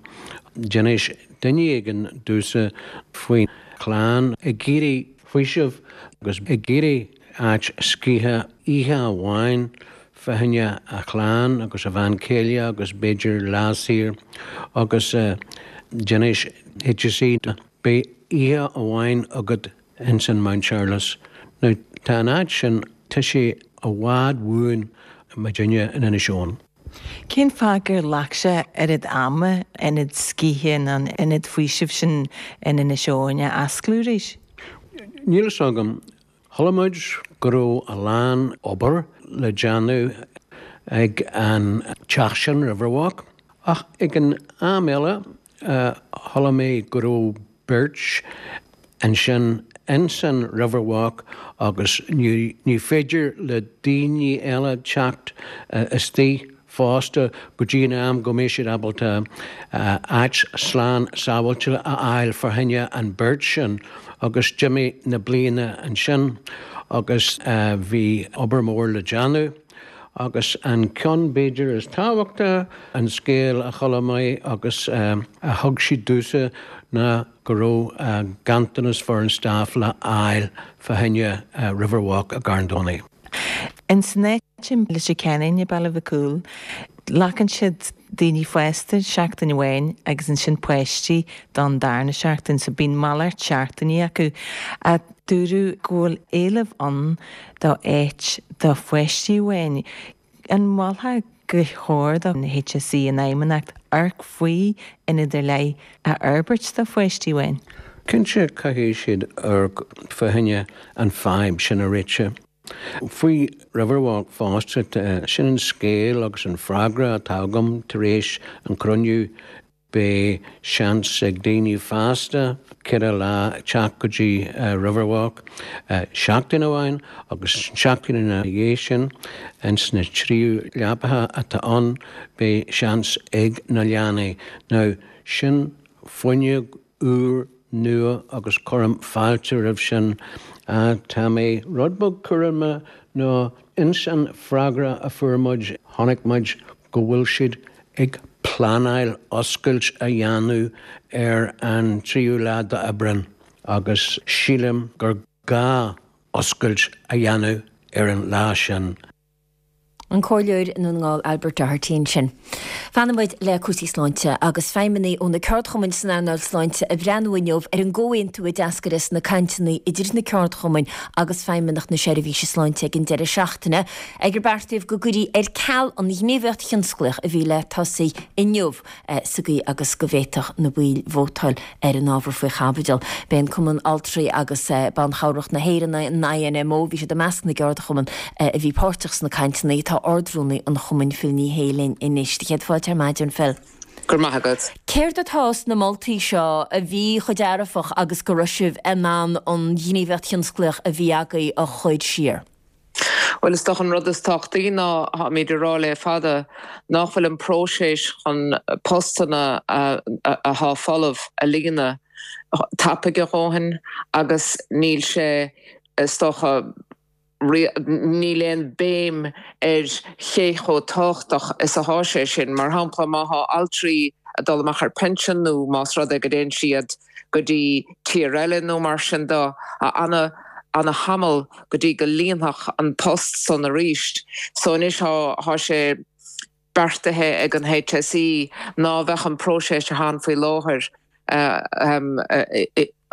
D'inis duine éigin domhsa faoi chlann ag iarraidh faoiseamh agus ag iarraidh áit scíthe oíche amháin fá choinne a chlann agus a bhean chéile agus b'fhéidir lá saor agus d'inis HSE beidh oíche amháin agat ins an Mount Charles. Now tá an áit sin, tá sé i bhfad uainn muidinne in Inis Eoghain. Cén fáth gur ghlac sé oiread ama ionad scíthe nó an ionad faoisimh sin in Inis Eoghain a osclú arís? Níl fhios agam. Chuala muid go raibh a lán obair le déanamh ag an teach sin, Riverwalk, ach ag an am eile chuala mé go raibh beirt ansin insan Riverwalk agus ní féidir le daoine eile teacht istigh fosta go dtí an am go mbeidh siad ábalta áit slán sábháilte a fháil fá choinne an beirt sin agus d'imigh na bliana ansin agus bhí obair mór le déanamh agus an ceann b'fhéidir is tábhachta, an scéal a chuala mé agus a thug siad domhsa ná go raibh ganntanas foireann staff le fháil fá choinne Riverwalk i gCarn Domhnach. Ins an áit i Leitir Ceanainn i Baile Mhic Cumhaill, glacann siad daoine fásta seachtain amháin agus ansin páistí don darna seachtain, so bíonn malairt seachtainí acu. Ach dúradh go bhfuil éileamh ann do áit do pháistí amháin. An molfá gur chóir don HSE, an Fheidhmeannacht, amharc faoi ionad ar leith a fhorbairt do pháistí amháin? Cinnte, caithfidh siad amharc fá choinne an fadhb sin a réiteach. Faoi Riverwalk fosta, sin an scéal agus an freagra atá agam tar éis an cruinniú. Beidh seans ag daoine fásta 4 lá teacht go dtí Riverwalk seachtain amháin agus seachtain ina dhiaidh sin ins na tríú leapacha atá ann beidh seans ag na leanaí. Now sin fuinneog úr nua agus cuirim fáilte roimh sin. Tá mé rud beag cúramach nó ins an freagra a fuair muid chonaic muid go bhfuil siad ag pleanáil oscailt a dhéanamh ar an tríú lá d'Aibreán agus sílim gur gá oscailt a dhéanamh ar an lá sin. An Comhairleoir i nDún na nGall Albert Doherty ansin. Fanfaidh muid le cúrsaí sláinte agus feidhmeannaigh ó na ceardchumainn san earnáil sláinte ag breathnú inniu ar an gcomhaontú a d'eascair as na cainteanna idir na ceardchumainn agus Feidhmeannacht na Seirbhíse Sláinte ag an deireadh seachtaine ag ar beartaíodh go gcuirfí ar ceal an ghníomhaíocht thionsclaíoch a bhí le tosaí inniu sa gcaoi agus go bhféadfadh na baill vótáil ar an ábhar faoi chaibidil. B'é an Cumann Altraí agus Ban Chabhrach na hÉireann, an INMO, bhí siad i measc na gceardchumann a bhí páirteach sna cainteanna. Tá Ard-Rúnaí an chumainn Phil Ní Sheaghdha linn anois. Céad fáilte ar maidin, Phil. Go raibh maith agat. Céard atá sna moltaí seo a bhí chomh dearfach agus go raibh sibh in ann an ghníomhaíocht thionsclaíoch a bhí agaibh a chur siar? Bhuel, is dócha an rud is tábhachtaí ná, táimid ag rá le fada, nach bhfuil an próiseas chun postanna athá folamh a líonadh tapaidh a dhóthain agus níl sé, is dócha, níl aon béim ar cé chomh tábhachtach is athá sé sin. Mar shampla, má thá altraí ag dul amach ar pension nó más rud é go dtéann siad go dtí tír eile nó mar sin de, tá ana, ana thamall go dtí go líonfadh an post san arís. So anois thá, thá sé. beartaithe ag an HSE ná bheadh an próiseas atá ann faoi láthair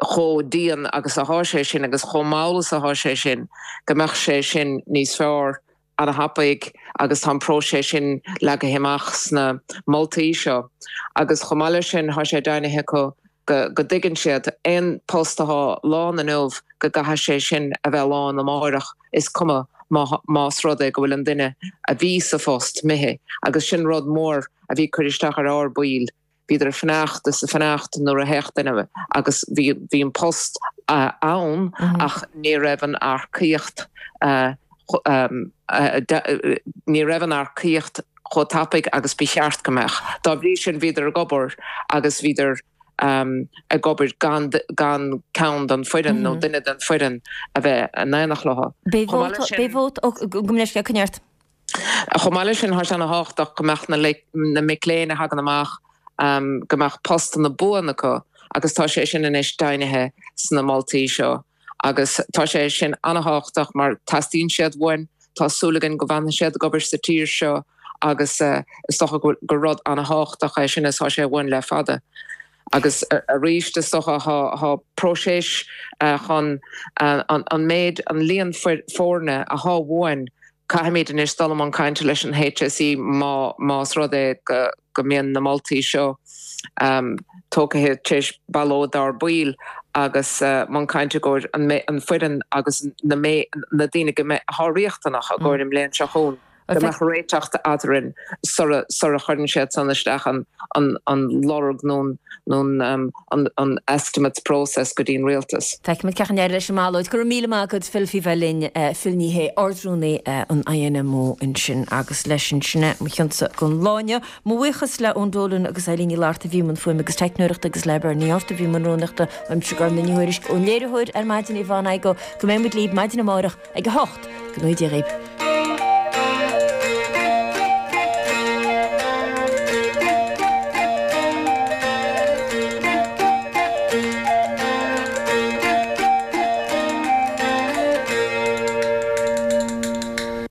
chomh dian agus athá sé sin agus chomh mall is athá sé sin, go mbeadh sé sin níos fearr ana-thapaidh agus tá an próiseas sin leagaithe amach sna moltaí seo. Agus chomh maith leis sin thá sé deimhnithe acu go dtuigeann siad, aon post athá lán inniu go gcaithfidh sé sin a bheith lán amáireach, is cuma más rud é go bhfuil an duine a bhí sa phost imithe. Agus sin rud mór a bhí ag cur isteach ar ár baill. Bhíodar ag fanacht is ag fanacht nuair a théadh duine agus bhí bhí an post ann ach ní raibh an earcaíocht ní raibh an earcaíocht chomh tapaidh agus ba cheart go mbeadh. Dá bhrí sin bhíodar ag obair agus bhíodar ag obair gan gan ceann den foireann nó duine den foireann a bheith in éineacht leo. Beidh vóta, beidh vóta, ó, gabh mo leithscéal, coinnigh ort. Chomh maith leis sin, tá sé ana-thábhachtach go mbeadh na mic léinn a thagann amach, go mbeadh postanna buan acu agus tá sé sin anois deimhnithe sna moltaí seo agus tá sé sin ana-thábhachtach mar teastaíonn siad uainn, tá súil againn go bhfanfaidh siad ag obair sa tír seo agus is dócha gur rud ana-thábhachtach é sin is tá sé uainn le fada. Agus arís is dócha tá próiseas chun an méid, an líon foirne athá uainn Caithfimid anois dul i mbun cainte leis an HSE más rud é go mbíonn na moltaí seo tógtha tar éis ballóid dár baill agus mbun cainte i gcomhair an foireann agus na daoine go mbeidh atá riachtanach i gcomhair an mbliain seo chugainn. Go mbeadh réiteach eadrainn sura chuireann siad san isteach an lorg nó an estimates process go dtí an rialtas. Feicfimid cén chaoi a n-éireoidh leis an mballóid. Go raibh míle maith agat Phil faoi bheith linn. Phil Ní Sheaghdha, Ard-Rúnaí an INMO ansin agus leis sin sin é mo chionsa don lá inniu. Mo bhuíochas le Eoin Dolan agus Eileen Ní Fhlatharta a bhí i mbun fuaime agus teicneoireachta agus le Bernie Arthur a bhí i mbun rúnaíochta. Uaimse Gormfhlaith Ní Thuairisg ón léiritheoir ar maidin Yvonne Igoe. Go mbeidh muid libh maidin amárach ag a 8. Go ngnóthaí Dia dhaoibh.